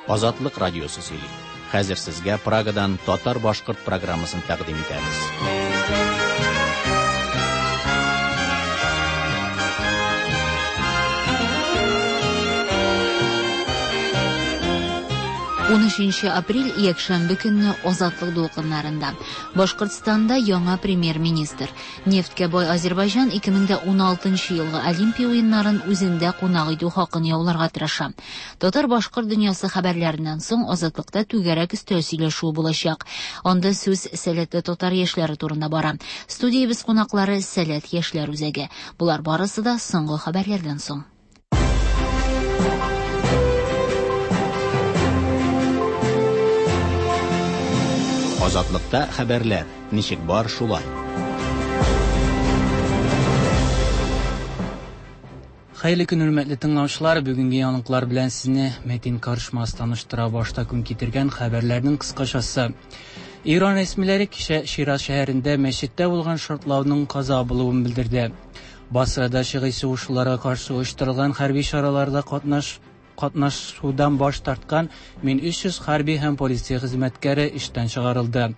Азатлык радиосы сөйли. Хәзер сезгә Прагадан татар-башкорт программасын тәкъдим итәбез. 13 апрель якшәмбе көнне Азатлык дулкыннарында. Башкортстанда яңа премьер-министр. Нефтькә бай Азербайҗан 2016 елгы Олимпия уеннарын үзендә кунак итү хакын яуларга тырыша. Татар-башкорт дөньясы хәбәрләреннән соң Азатлыкта түгәрәк өстәл сөйләшүе булачак. Анда сүз сәләтле татар яшьләре турында бара. Студиябез кунаклары Сәләт яшьләр үзәге. Болар барысы да соңгы хәбәрләрдән соң. Азатлыкта хәбәрләр ничек бар шулай. Хәерле көн, хөрмәтле тыңлаучылар. Бүгенге яңалыклар белән сезне Мәтин Карышмас таныштыра. Башта көн китергән хәбәрләрнең кыскачасы. Иран рәсмиләре кичә Шираз шәһәрендә мәчеттә булган шартлауның каза булуын белдерде. Басрада шигый сугышчыларга каршы оештырылган хәрби чараларда катнашудан баш тарткан 1300 хәрби һәм полиция хезмәткәре эштән чыгарылды.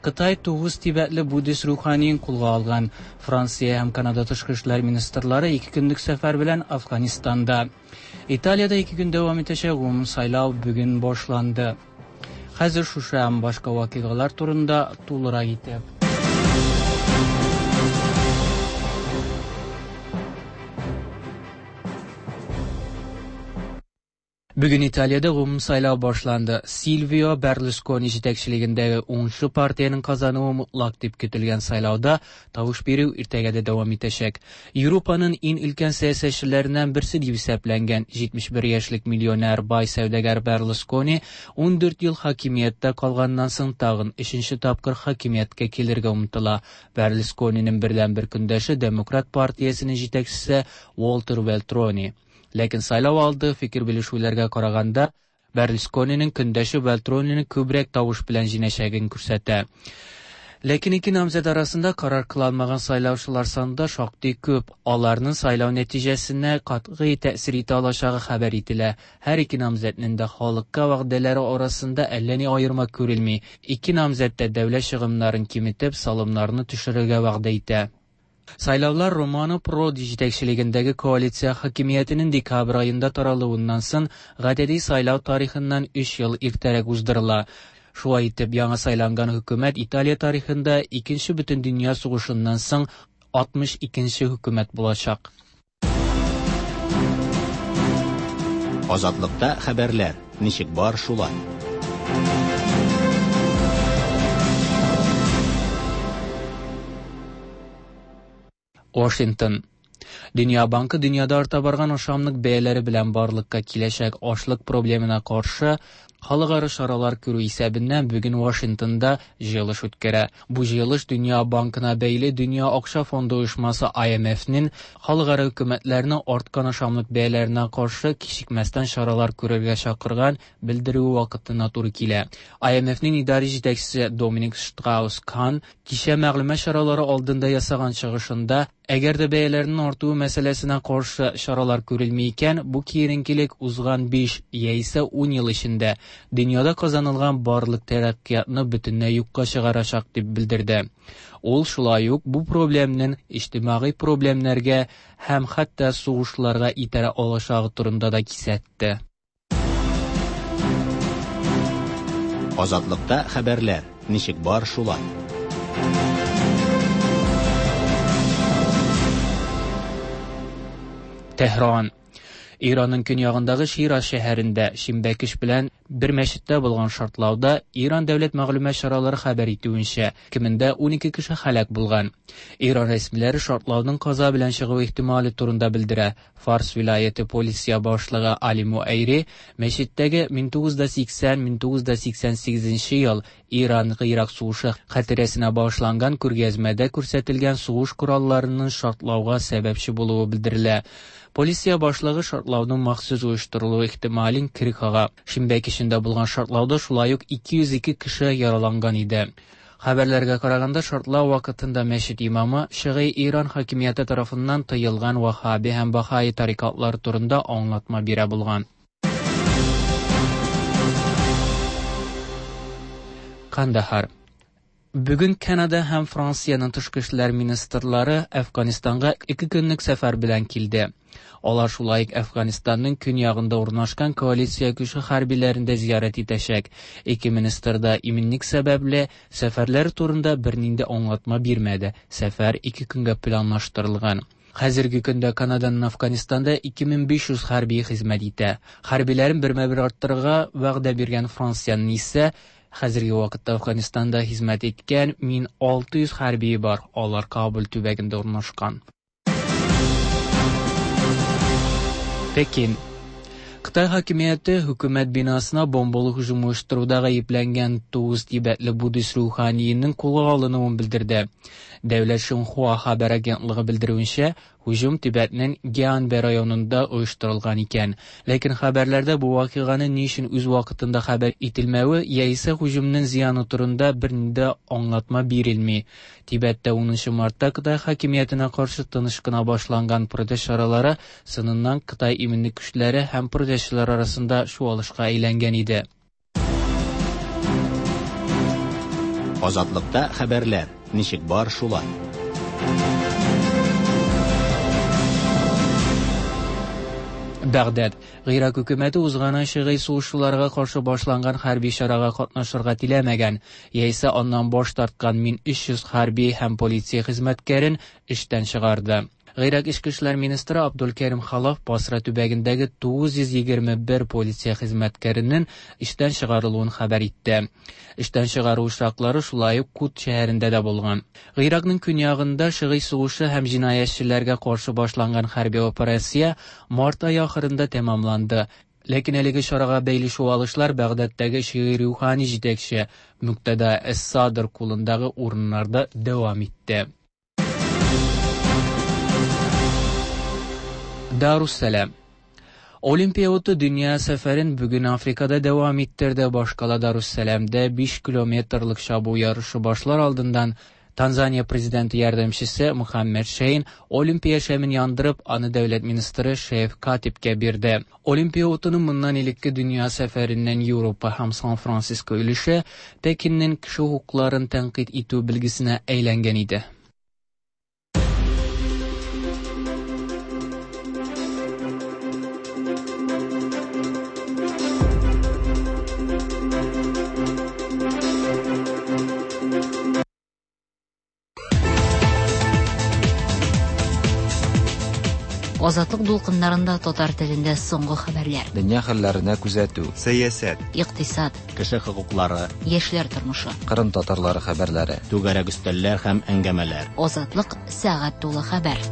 Кытай 9 тибетле буддист руханиен кулга алган. Франция һәм Канада тышкы эшләр министрлары 2 көнлек сәфәр белән Афганистанда. Италиядә 2 көн дәвам итәчәк гомум сайлау бүген башланды. Хәзер шушы һәм башка вакыйгалар турында тулырак итеп. Бүген Италиядә гомум сайлау башланды. Сильвио Берлускони җитәкчелегендәге уңышлы партиянең казануы мутлак дип көтелгән сайлауда тавыш бирү иртәгә дә дәвам итәчәк. Европаның иң өлкән сәясәтчеләреннән берсе дип исәпләнгән 71 яшьлек миллионер бай сәүдәгәр Берлускони 14 ел хакимияттә калганнан соң тагын 3нче тапкыр хакимияткә килергә омтыла. Берлускониның бердәнбер көндәше Демократ партиясенең җитәкчесе Уолтер Велтрони. Ләкин сайлау алды фикер белешүләргә караганда Берлускониның көндәше Велтронины күбрәк тавыш белән җиңәчәген күрсәтә. Ләкин ике намзәт арасында карар кыла алмаган сайлаучылар саны да шактый күп. Аларның сайлау нәтиҗәсенә катгый тәэсир итә алачагы хәбәр ителә. Һәр ике намзәтнең дә халыкка вәгъдәләре арасында әллә ни аерма күрелми. Ике намзәт тә дәүләт чыгымнарын киметеп, салымнарны төшерергә вәгъдә итә. Сайлаулар Романо Проди җитәкчелегендәге коалиция хакимиятенең декабрь аенда таралуыннан соң гадәти сайлау тарихыннан 3 ел иртәрәк уздырыла. Шулай итеп, яңа сайланган хөкүмәт Италия тарихында Икенче бөтендөнья сугышыннан соң 62нче хөкүмәт булачак. Азатлыкта хәбәрләр ничек бар шулай. Washington. Дөнья банкы дөньяда арта барган ашамлык бәяләре белән барлыкка киләчәк ашлык проблемына каршы халыкара чаралар күрү исәбеннән бүген Вашингтонда җыелыш үткәрә. Бу җыелыш Дөнья банкына бәйле Дөнья акча фонды оешмасы IMF-нең халыкара хөкүмәтләрне арткан ашамлык бәяләренә каршы кичекмәстән чаралар күрергә чакырган белдерүе вакытына туры килә. IMF-нең идарә җитәкчесе Доминик Штраус-Кан кичә мәгълүмат чаралары алдында ясаган чыгышында, әгәр дә бәяләрнең артуы мәсьәләсенә каршы чаралар күрелми икән, бу киеренкелек узган 5 яисә 10 ел эчендә дөньяда казанылган барлык тәрәккыятны бөтенләй юкка чыгарачак дип белдерде. Ул шулай ук бу проблемның иҗтимагый проблемнәргә һәм хәтта сугышларга итәрә алачагы турында да кисәтте. Азатлыкта хәбәрләр ничек бар шулай. Тәһран. Иранның көньягындагы Шираз шәһәрендә шимбә кич белән бер мәчеттә булган шартлауда Иран дәүләт мәгълүмат чаралары хәбәр итүенчә, кимендә 12 кеше һәлак булган. Иран рәсмиләре шартлауның каза белән чыгу ихтималы турында белдерә. Фарс вилаяте полиция башлыгы Али Муайри мәчеттәге 1980-1988 ел Иран-Ирак сугышы хатирәсенә багышланган күргәзмәдә күрсәтелгән сугыш коралларының шартлауга сәбәпче булуы белдерелә. Полиция башлыгы шартлауның махсус оештырылуы ихтималын кире кага. Шимбә кичендә булган шартлауда шулай ук 202 кеше яраланган иде. Хәбәрләргә караганда, шартлау вакытында мәчет имамы шигый Иран хакимияте тарафыннан тыелган ваххаби һәм бахаи тарикатлар турында аңлатма бирә булган. Кандахар. Бүген Канада һәм Франциянең тышкы эшләр министрлары Әфганстанга 2 көнлек сәфәр белән килде. Алар шулай ук Әфганстанның көньягында урнашкан коалиция көче хәрбиләрен дә зиярәт итәчәк. Ике министр да иминлек сәбәпле сәфәрләре турында бернинди аңлатма бирмәде. Сәфәр 2 көнгә планлаштырылган. Хәзерге көндә Канаданың Афганистанда 2500 хәрби хезмәт итә. Хәрбиләрен бермә-бер арттырырга вәгъдә биргән Франциянең исә хәзерге вакытта Афганистанда хезмәт иткән 1600 хәрбие бар. Алар Кабул төбәгендә урнашкан. Пекин. Кытай хакимияте хөкүмәт бинасына бомбалы һөҗүм оештыруда гаепләнгән 9 тибетле буддист руханиенең кулга алынуын белдерде. Дәүләт Шинхуа хәбәр агентлыгы белдерүенчә, һөҗүм Тибетнең Гианбе районында оештырылган икән. Ләкин хәбәрләрдә бу вакыйганы ни өчен үз вакытында хәбәр ителмәве яисә һөҗүмнең зыяны турында бернинди аңлатма бирелми. Тибеттә 10 мартта Кытай хакимиятенә каршы тыныч кына башланган протест чаралары сыныннан Кытай иминлек көчләре һәм протестчылар арасында чуалышка әйләнгән иде. Азатлыкта хәбәрләр ничек бар шулай. Бәгъдәд. Гыйрак хөкүмәте узган ай шигый сугышчыларга каршы башланган хәрби чарага катнашырга теләмәгән, яисә аннан баш тарткан 1300 хәрби һәм полиция хезмәткәрен эштән чыгарды. Гыйрак эчке эшләр министры Абдулкәрим Халаф Басра төбәгендәге 921 полиция хезмәткәренең эштән чыгарылуын хәбәр итте. Эштән чыгару очраклары шулай ук Кут шәһәрендә дә булган. Гыйракның көньягында шигый сугышы һәм җинаятьчеләргә каршы башланган хәрби операция март ае ахырында тәмамланды. Ләкин әлеге чарага бәйле чуалышлар Бәгъдәдтәге шигый рухани җитәкче Муктада Эс-Садр кулындагы урыннарда дәвам итте. Даруссалам. Olimpiya otu dünya seferin bugün Afrikada devam ettirdi. Başkala Darussalam'da 5 kilometrlik şabu yarışı başlar aldından Tanzaniya prezidenti yardımcısı Muhammed Şeyn Olimpiya şemin yandırıp anı devlet ministri Şef Katip'ke birdi. Olimpiya otunun bundan ilikki dünya seferinden Avropa hem San Francisco ülüşü Pekin'in kişi hukuklarını tenkit etüv bilgisine eğlengen idi. Азатлык дулкыннарында татар телендә соңгы хәбәрләр. Дөнья хәлләренә күзәтү. Сәясәт. Икътисад. Кеше хокуклары. Яшьләр тормышы. Кырым татарлары хәбәрләре. Түгәрәк өстәлләр һәм әңгәмәләр. Азатлык сәгать тулы хәбәр.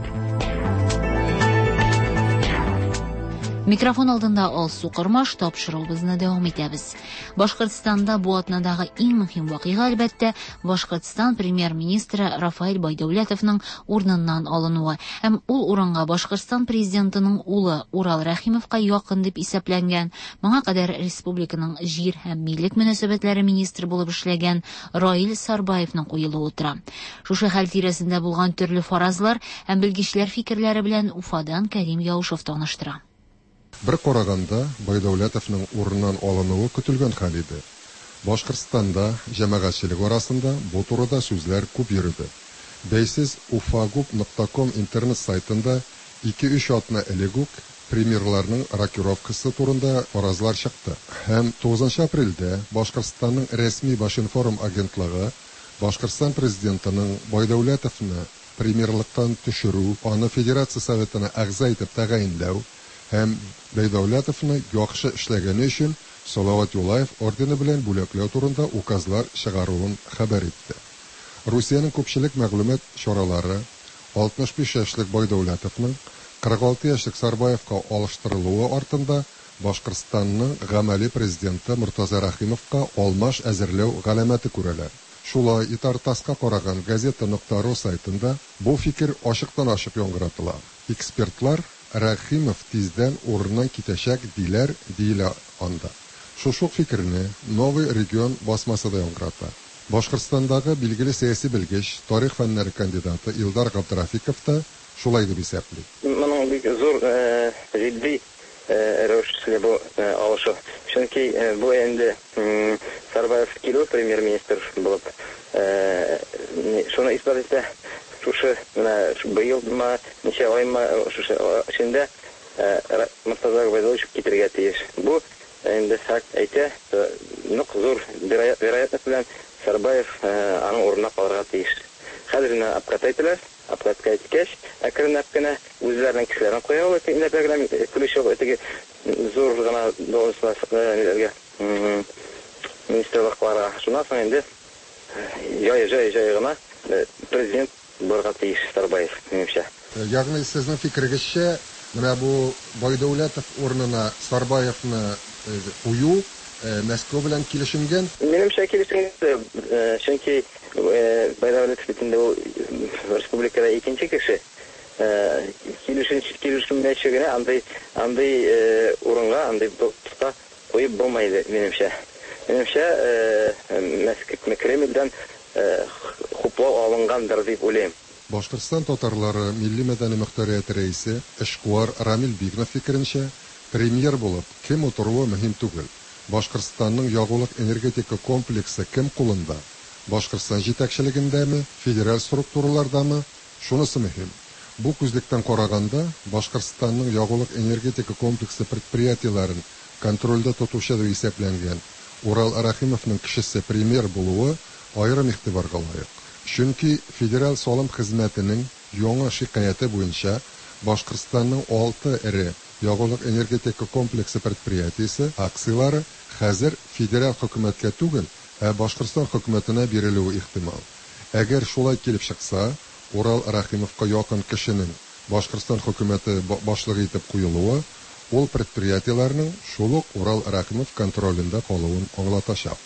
Микрофон алдында Алсу Кормаш, тапшыруыбызны дәвам итәбез. Башкортстанда бу атнадагы иң мөһим вакыйга, әлбәттә, Башкортстан премьер-министры Рафаэль Байдәүләтовның урыныннан алынуы һәм ул урынга Башкортстан президентының улы Урал Рәхимовка якын дип исәпләнгән, моңа кадәр республиканың җир һәм милек мөнәсәбәтләре министры булып эшләгән Раил Сарбаевның куелуы тора. Шушы хәл тирәсендә булган төрле фаразлар һәм белгечләр фикерләре белән Уфадан Кәрим Яушев таныштыра. Бер караганда, Байдәүләтовның урыннан алынуы көтелгән хәл иде. Башкортстанда җәмәгатьчелек арасында бу турыда сүзләр күп йөрде. Бәйсез ufagub.com интернет сайтында 2-3 атна элек үк премьерларның рокировкасы турында фаразлар чыкты. Һәм 9 апрельдә Башкортстанның рәсми Башинформ агентлыгы Башкортстан президентының Байдәүләтовны премьерлыктан төшерү, аны Федерация Советына әгъза итеп тәгаенләү һәм Байдәүләтовны яхшы эшләгәне өчен Салават Юлаев ордены белән бүләкләү турында указлар чыгаруын хәбәр итте. Русиянең күпчелек мәгълүмат чаралары 65 яшьлек Байдәүләтовның 46 яшьлек Сарбаевка алыштырылуы артында Башкортстанның гамәли президенты Муртаза Рәхимовка алмаш әзерләү галәмәте күрәләр. Шулай Итар-ТАССка караган газета.ру сайтында бу фикер ачыктан-ачык яңгыратыла. Экспертлар Рәхимов тиздән урыннан китәчәк диләр, диелә анда. Шушы ук фикерне Новый регион басмасы да яңгырата. Башкортстандагы билгеле сәяси белгеч, тарих фәннәре кандидаты Илдар Габдрафиков та шулай дип исәпли. Моның бик зур, җитди рәвешле бу алышу. Чөнки бу инде Сарбаев килү премьер-министр булып шуны исбат итә. Шушы менә быелмы, ничә аймы шушы эчендә Мортаза Гобәйдуллович китергә тиеш. Бу инде факт әйтә, нык зур вероятность белән Сарбаев аның урынына калырга тиеш. Хәзер менә обкат әйтәләр. Обкатка әйткәч, әкренләп кенә үзләренең кешеләрен куя ул, әкренләп генә ключевой теге зур гына должностьларга, министрлыкларга. Шуннан соң инде җай җай җай гына президент булырга тиеш Сарбаев, минемчә. Ягъни сезнең фикерегезчә, менә бу Байдәүләтов урынына Сарбаевны кую Мәскәү белән килешенгән? Минемчә, килешенгән, чөнки Байдәүләтов бит инде ул республикада икенче кеше. Килешен килешенмәячә генә андый андый урынга, андый постка куеп булмый иде, минемчә. Минемчә, Мәскәү Кремльдән хуплау алынгандыр дип уйлыйм. Башкортстан татарлары милли-мәдәни мохтарияте рәисе, эшкуар Рамил Бигнов фикеренчә, премьер булып кем утыруы мөһим түгел. Башкортстанның ягулык-энергетика комплексы кем кулында, Башкортстан җитәкчелегендәме, федераль структуралардамы, шунысы мөһим. Бу күзлектән караганда, Башкортстанның ягулык-энергетика комплексы предприятиеләрен контрольдә тотучы дип исәпләнгән Урал Рәхимовның кешесе премьер булуы аерым игътибарга лаек. Чөнки Федераль салым хезмәтенең яңа шикаяте буенча Башкортстанның алты эре ягулык-энергетика комплексы предприятиесе акцияләре хәзер федераль хөкүмәткә түгел, ә Башкортстан хөкүмәтенә бирелүе ихтимал. Әгәр шулай килеп чыкса, Урал Рәхимовка якын кешенең Башкортстан хөкүмәте башлыгы итеп куелуы ул предприятиеләрнең шул ук Урал Рәхимов контролендә калуын аңлатачак.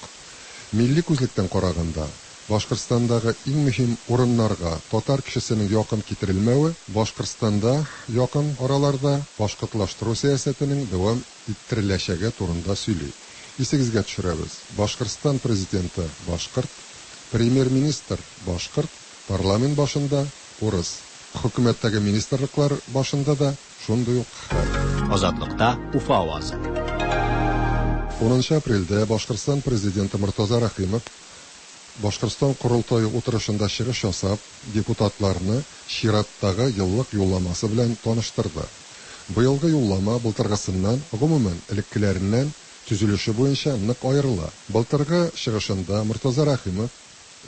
Милли күзлектән караганда, Башкортстандагы иң мөһим урыннарга татар кешесенең якын китерелмәве Башкортстанда якын араларда башкортлаштыру сәясәтенең дәвам иттереләчәге турында сөйли. Исегезгә төшерәбез, Башкортстан президенты башкорт, премьер-министр башкорт, парламент башында урыс. Хөкүмәттәге министрлыклар башында да шундый ук хәл. Азатлыкта Уфа авазы. 10 апрельдә Башкортстан президенты Мортаза Рәхимов Башкортстан корылтае утырышында чыгыш ясап, депутатларны чираттагы еллык юлламасы белән таныштырды. Быелгы юллама былтыргысыннан, гомумән, элеккеләреннән төзелеше буенча нык аерыла. Былтыргы чыгышында Мортаза Рәхимов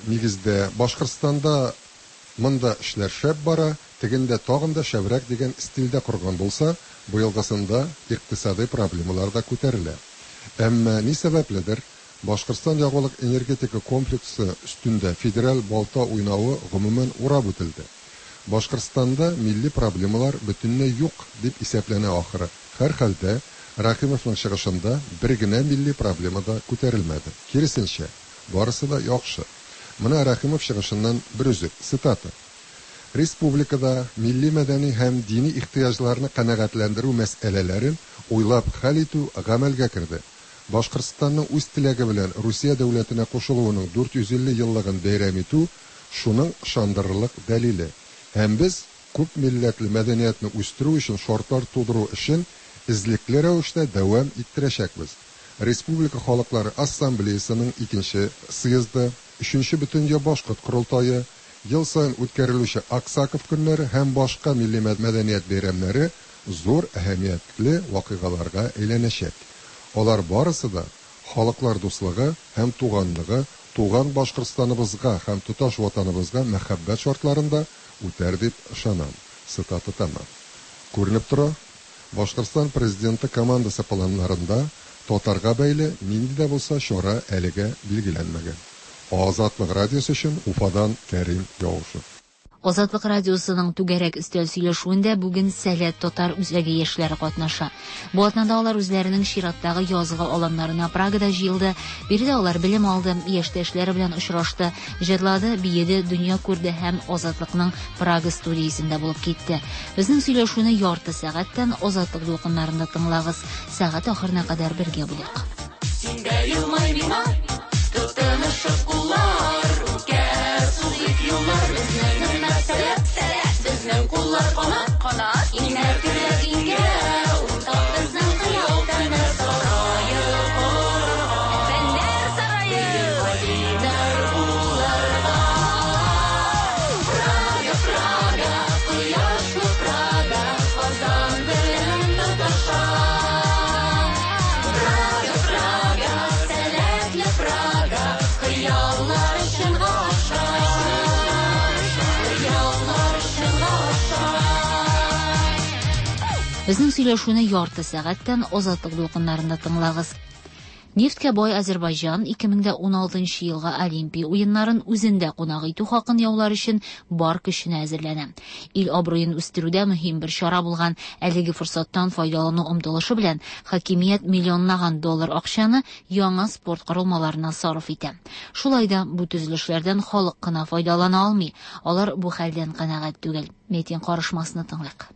нигездә Башкортстанда монда эшләр шәп бара, тегендә тагын да шәбрәк дигән стильдә корган булса, быелгысында икътисадый проблемалар да күтәрелә. Әмма ни сәбәпледер, Башкортстан ягулык-энергетика комплексы өстендә федераль балта уйнавы гомумән урап үтелде. Башкортстанда милли проблемалар бөтенләй юк дип исәпләнә ахыры. Һәрхәлдә, Рәхимовның чыгышында бер генә милли проблема да күтәрелмәде. Киресенчә, барысы да яхшы. Менә Рәхимов чыгышыннан бер өзек, цитата. Республикада милли-мәдәни һәм дини ихтыяҗларны канәгатьләндерү мәсьәләләрен уйлап хәл итү гамәлгә керде. Башкортстанның үз теләге белән Русия дәүләтенә кушылуының 450 еллыгын бәйрәм итү шуның ышандырырлык дәлиле. Һәм без күп милләтле мәдәниятне үстерү өчен шартлар тудыру эшен эзлекле рәвештә дәвам иттерәчәкбез. Республика халыклары ассамблеясының икенче съезды, өченче бөтендөнья башкорт корылтае, ел саен үткәрелүче Аксаков көннәре һәм башка милли мәдәният бәйрәмнәре зур әһәмиятле вакыйгаларга әйләнәчәк. Алар барысы да халыклар дуслыгы һәм туганлыгы, туган Башкортстаныбызга һәм тоташ ватаныбызга мәхәббәт шартларында үтәр дип ышанам. Цитата тәмам. Күренеп тора, Башкортстан президенты командасы планнарында татарга бәйле нинди дә булса чара әлегә билгеләнмәгән. Азатлык радиосы өчен Уфадан Кәрим Яушев. Азатлык радиосының түгәрәк өстәл сөйләшүендә бүген Сәләт татар үзәге яшьләре катнаша. Бу атнада алар үзләренең чираттагы язгы аланнарына Прагада җыелды. Биредә алар белем алды, яшьтәшләре белән очрашты, җырлады, биеде, дөнья күрде һәм Азатлыкның Прага студиясендә булып китте. Безнең сөйләшүне ярты сәгатьтән Азатлык дулкыннарында тыңлагыз. Сәгать ахырына кадәр бергә булыйк. Син дә елмай миңа, тотынышып куллар, үкә сузыйк юллар, безнең хөрмәт сәләт, сәләт, безнең куллар канат, канат, иңнәр көрәк иңгә, уртак безнең Безнең сөйләшүне ярты сәгатьтән Азатлык дулкыннарында тыңлагыз. Нефтькә бай Азербайҗан 2016 елгы Олимпия уеннарын үзендә кунак итү хакын яулар өчен бар көченә әзерләнә. Ил абруен үстерүдә мөһим бер чара булган әлеге форсаттан файдалану омтылышы белән хакимият миллионлаган доллар акчаны яңа спорт корылмаларына сарыф итә. Шулай да бу төзелешләрдән халык кына файдалана алмый. Алар бу хәлдән канәгать түгел. Метин карышмасны тыңлыйк.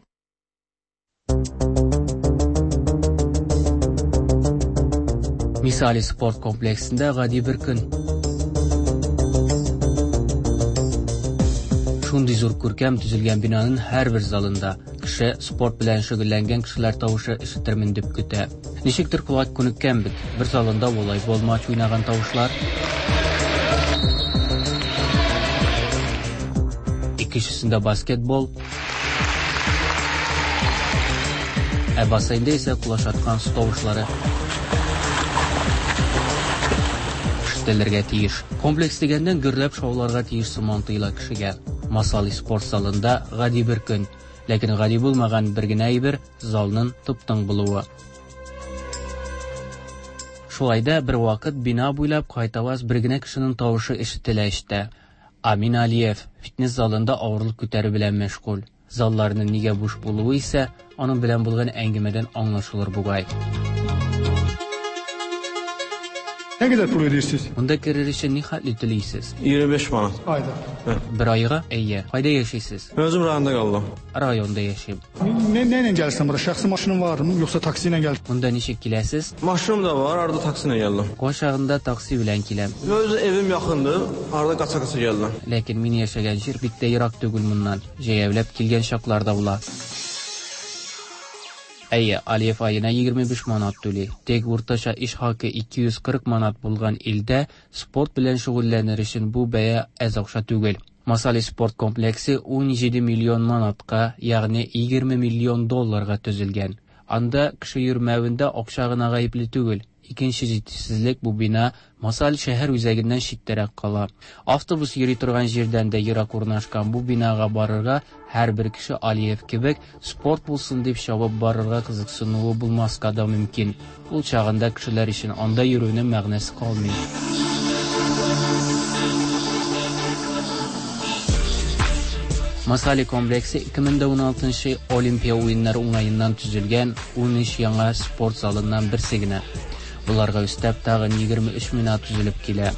Misali sport kompleksinde гади бер көн. Шундый зур күркәм төзелгән бинаның һәрбер залында кеше спорт белән шөгыльләнгән кешеләр тавышы ишетермен дип көтә. Ничектер колак күнеккән бит. Бер залында волейбол матч уйнаган тавышлар. Икенчесендә баскетбол. Ә бассейнда исә кулач аткан су тавышлары ишетелергә тиеш. Комплекс дигәннән гөрләп шауларга тиеш сыман тоела кешегә. Масали спорт залында гади бер көн, ләкин гади булмаган бер генә әйбер залның тып-тын булуы. Шулай да бер вакыт бина буйлап кайтаваз бер генә кешенең тавышы ишетелә эчтә. Амин Алиев фитнес залында авырлык күтәрү белән мәшгуль. Залларның нигә буш булуы исә аның белән булган әңгәмәдән аңлашылыр бугай. Nə qədər pul ödəyirsiniz? Монда керер өчен ни хәтле түлисез? 25 manat. Ayda. Бер айга? Әйе. Кайда яшисез? Özüm rayonda qaldım. Районда яшим. Nə, nə ilə gəlirsən bura? Şəxsi maşının varmı, yoxsa taksi ilə gəlirsən? Монда ничек киләсез? Maşınım da var, arada taksi ilə gəldim. Кайчагында такси белән киләм. Öz evim yaxındır, arada qaça-qaça gəldim. Ләкин мин яшәгән җир бик тә ерак түгел моннан. Җәяүләп килгән чаклар да була. Әйе, Алиев аена 25 манат түли. Тик уртача эш хакы 240 манат булган илдә спорт белән шөгыльләнер өчен бу бәя әз акча түгел. Масали спорт комплексы 17 миллион манатка, ягъни 20 миллион долларга төзелгән. Анда кеше йөрмәвендә акча гына гаепле түгел. Икенче җитешсезлек бу бина Масал шәһәр үзәгеннән читтәрәк кала. Автобус йөри торган җирдән дә ерак урнашкан бу бинага барырга һәрбер кеше Алиев кебек спорт булсын дип чабып барырга кызыксынуы булмаска да мөмкин. Ул чагында кешеләр өчен анда йөрүнең мәгънәсе калмый. Масали комплексы 2016 Олимпия уеннары уңаеннан төзелгән 13 яңа спорт залыннан берсе генә. Буларга өстәп тагын 23 бина төзелеп килә.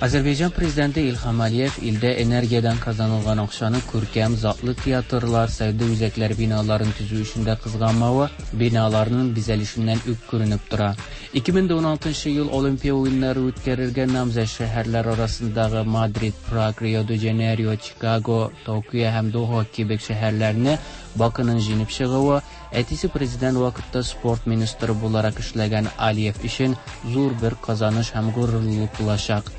Азербайҗан президенты Илһам Алиев илдә энергиядән казанылган акчаны күркәм затлы театрлар, сәүдә үзәкләре биналарын төзү өчен дә кызганмавы биналарның бизәлешеннән үк күренеп тора. 2016 ел Олимпия уеннары үткәрергә намзәт шәһәрләр арасындагы Мадрид, Праг, Рио-де-Жанейро, Чикаго, Токио һәм Доха кебек шәһәрләрне Бакының җиңеп чыгуы әтисе президент вакытта спорт министры буларак эшләгән Алиев өчен зур бер казаныш һәм горурлык булачак.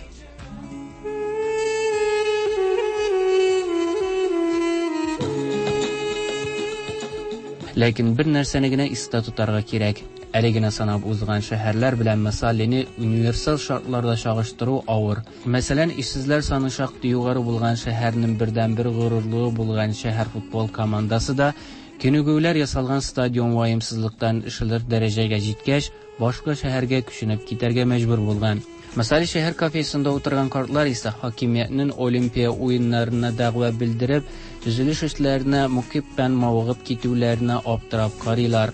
Ләкин бер нәрсәне генә истә тотарга кирәк. Әле генә санап узган шәһәрләр белән Масалины универсаль шартларда чагыштыру авыр. Мәсәлән, эшсезләр саны шактый югары булган шәһәрнең бердәнбер горурлыгы булган шәһәр футбол командасы да күнегүләр ясалган стадион ваемсызлыктан ишелер дәрәҗәгә җиткәч, башка шәһәргә күченеп китәргә мәҗбүр булган. Масали шәһәр кафесында утырган картлар исә хакимиятнең Олимпия уеннарына дәгъва белдереп, төзелеш эшләренә мөкиббән мавыгып китүләренә аптырап карыйлар.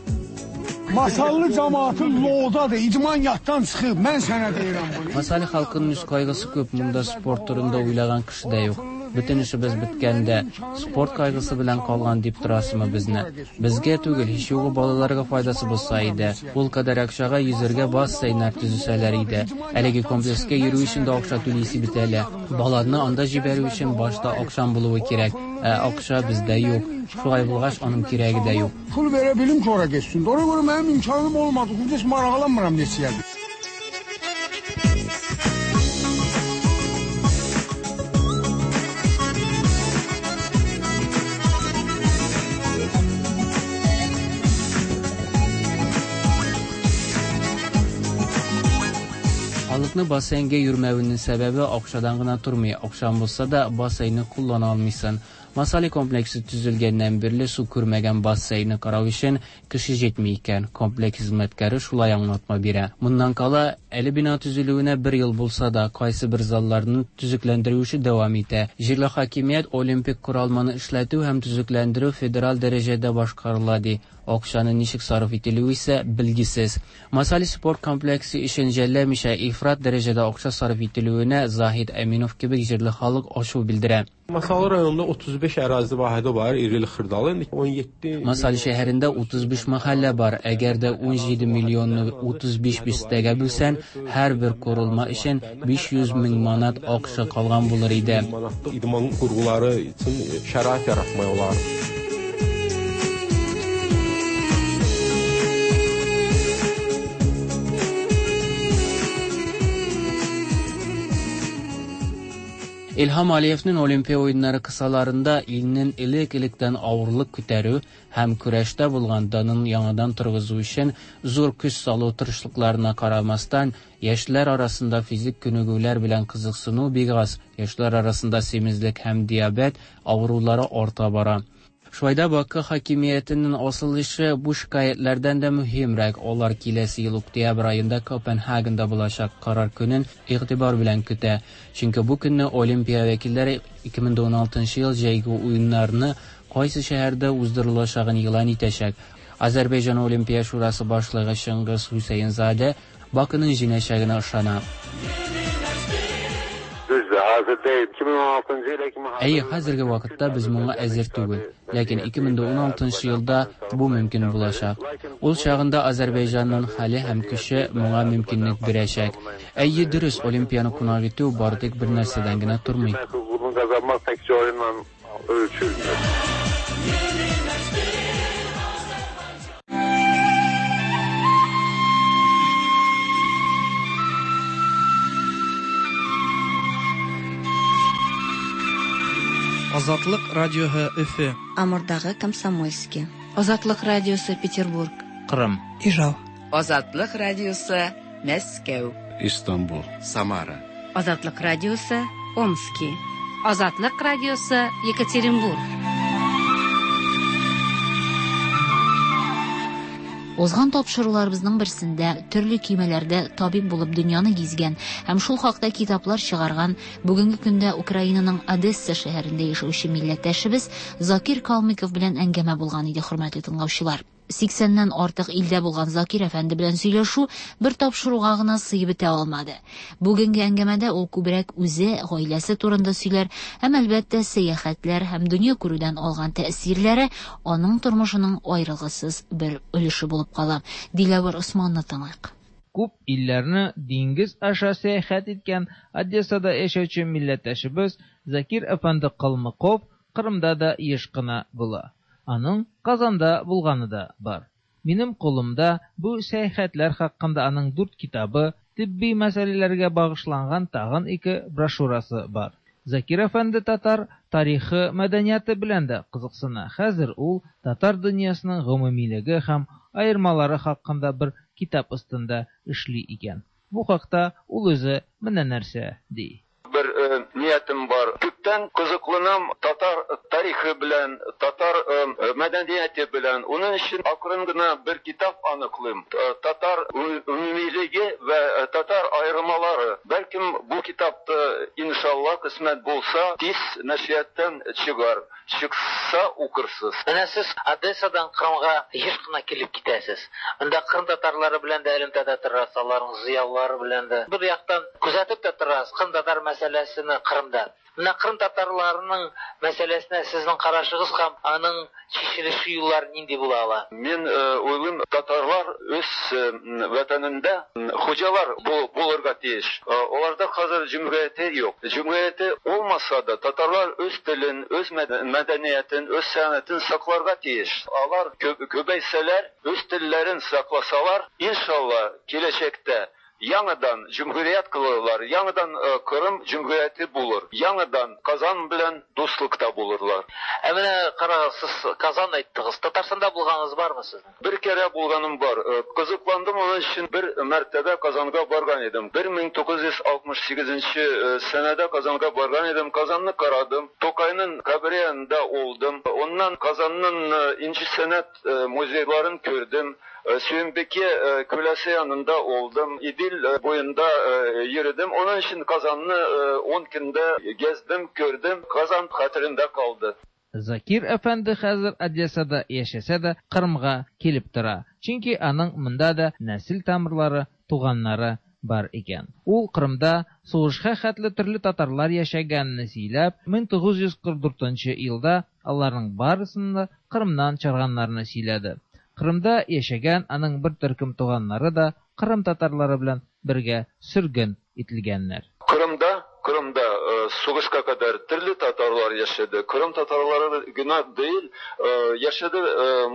Masallı cəmaatı loğdadır, idman yaddan çıxıb, mən sənə deyirəm bunu. Масали халкының үз кайгысы күп, монда спорт турында уйлаган кеше дә юк. Бөтен эшебез беткәндә, спорт кайгысы белән калган дип торасызмы безне? Безгә түгел, һич югы балаларга файдасы булса иде. Ул кадәр акчага йөзәргә бассейннар төзесәләр иде. Әлеге комплекска йөрү өчен дә акча түлисе бит әле. Баланы анда җибәрү өчен башта акчаң булуы кирәк. Ә акча бездә юк. Шулай булгач, аның кирәге дә юк. Pul verə bilim ki, ora getsin. Ona görə mənim imkanım olmadı. Heç maraqlanmıram neçəyə. Халыкны бассейнга йөрмәвенең сәбәбе акчадан гына тормый. Акчаң булса да бассейнны куллана алмыйсың. Масали комплексы төзелгәннән бирле су күрмәгән бассейнны карау өчен кеше җитми икән. Комплекс хезмәткәре шулай аңлатма бирә. Моннан кала, әле бина төзелүенә бер ел булса да, кайсыбер залларны төзекләндерү эше дәвам итә. Җирле хакимият олимпик коралманы эшләтү һәм төзекләндерү федераль дәрәҗәдә башкарыла ди. Акчаны ничек сарыф ителүе исә билгесез. Масали спорт комплексы өчен жәлләмичә ифрат дәрәҗәдә акча сарыф ителүенә Заһид Әминов кебек җирле халык ачу белдерә. Masallı rayonunda 35 ərazi vahidi var, irili xırdalı. İndi 17 Масали шәһәрендә 35 мәхәллә бар. Әгәр дә 17 миллионны 35 бистәгә бүлсәң, һәрбер корылма өчен 500 мең манат акча калган булыр иде. Manatlıq idman qurğuları üçün şərait yaratmaq olar. Илһам Алиевның Олимпия уеннары кысаларында илнең элек-электән авырлык күтәрү һәм көрәштә булган данын яңадан торгызу өчен зур көч салу тырышлыкларына карамастан, яшьләр арасында физик күнегүләр белән кызыксыну бик аз, яшьләр арасында симезлек һәм диабет авырулары арта бара. Шулай да Бакы хакимиятенең асыл эше бу шикаятьләрдән дә мөһимрәк. Алар киләсе ел октябрь аенда Копенгагенда булачак карар көнен игътибар белән көтә. Чөнки бу көнне Олимпия вәкилләре 2016 ел җәйге уеннарны кайсы шәһәрдә уздырылачагын игълан итәчәк. Азәрбайҗан Олимпия шурасы башлыгы Чыңгыз Хусейнзаде Бакының җиңәчәгенә ышана. Düzdür, hazır deyil. 2016-cı ilə kimi Әйе, хәзерге вакытта без моңа әзер түгел. Ләкин 2016 елда бу мөмкин булачак. Ул чагында Азәрбайҗанның хәле һәм көче моңа мөмкинлек бирәчәк. Әйе, дөрес, Олимпияны кунак итү бары тик бер нәрсәдән генә тормый. Hüququnu qazanmaq təkcə oyunla ölçülmür. Азатлык радиоһы Өфе. Амурдагы Комсомольский. Азатлык радиосы Петербург. Кырым. Ижау. Азатлык радиосы Мәскәү. Истанбул. Самара. Азатлык радиосы Омски. Азатлык радиосы Екатеринбург. Узган тапшыруларыбызның берсендә төрле көймәләрдә табиб булып дөньяны гизгән һәм шул хакта китаплар чыгарган бүгенге көндә Украинаның Одесса шәһәрендә яшәүче милләттәшебез Закир Калмыков белән әңгәмә булган иде, хөрмәтле тыңлаучылар. 80-нән артык илдә булган Закир әфәнде белән сөйләшү бер тапшыруга гына сыеп бетә алмады. Бүгенге әңгәмәдә ул күбрәк үзе, гаиләсе турында сөйләр һәм әлбәттә сәяхәтләр һәм дөнья күрүдән алган тәэсирләре аның тормышының аерылгысыз бер өлеше булып кала. Диләвәр Османны тыңлыйк. Күп илләрне диңгез аша сәяхәт иткән Одессада яшәүче милләттәшебез Закир әфәнде Калмыков Кырымда да еш кына була. Аның Казанда булганы да бар. Минем кулымда бу сәяхәтләр хакында аның дүрт китабы, тибби мәсьәләләргә багышланган тагын ике брошюрасы бар. Закир әфәнде татар тарихы, мәдәнияте белән дә кызыксына. Хәзер ул татар дөньясының гомумилеге һәм аермалары хакында бер китап өстендә эшли икән. Бу хакта ул үзе менә нәрсә ди. Бер ниятем бар. Күптән кызыкланам татар тарихы белән, татар мәдәнияте белән. Уның өчен акрын гына бер китап аныклыйм. Татар умумилеге вә татар аермалары. Бәлкем бу китапты иншалла кысмәт булса, тиз нәшрияттан чыгар. Чыкса укырсыз. Менә сез Одессадан Кырымга еш кына килеп китәсез. Анда Кырым татарлары белән дә элемтәдә торасыз, аларның зыялылары белән дә. Бер яктан күзәтеп тә торасыз Кырым татар мәсьәләсен Кырымда. Менә Кырым татарларының мәсьәләсенә сезнең карашыгыз һәм аның чишелеше юллары нинди була ала? Мин уйлыйм, татарлар үз ватанында хуҗалар булырга тиеш. Аларда хәзер җөмһүрияте юк. Җөмһүрияте булмаса да татарлар үз телен, үз мәдәниятен, үз сәнгатен сакларга тиеш. Алар күбәйсәләр, үз телләрен сакласалар, иншалла, киләчәктә Яңадан җөмһүрият кылырлар, яңадан Кырым җөмһүрияте булыр, яңадан Казан белән дуслыкта булырлар. Ә менә карагыз, сез Казан әйттегез. Татарстанда булганыгыз бармы сезнең? Бер кәрә булганым бар. Кызыкландым, оның өчен бер мәртәбә Казанга барган идем. 1968 нче сәнәдә Казанга барган идем. Казанны карадым. Тукайның кабере янында булдым. Оннан Казанның инҗе сәнәт музейларын күрдем. Сөембике күләсе янында булдым. Идел буенда йөрдем. Оның өчен Казанны 10 көндә гездем, күрдем. Казан хәтерендә калды. Закир әфәнде хәзер Одессада яшәсә дә, Кырымга килеп тора. Чөнки аның монда да нәсел тамырлары, туганнары бар икән. Ул Кырымда сугышка хәтле төрле татарлар яшәгәнне сөйләп, 1944 елда аларның барысын да Кырымнан чыгарганнарны сөйләде. Кырымда яшәгән аның бер төркем туганнары да Кырым татарлары белән бергә сөрген ителгәннәр. Кырымда Кырымда сугышка кадәр төрле татарлар яшәде. Кырым татарлары гына түгел, яшәде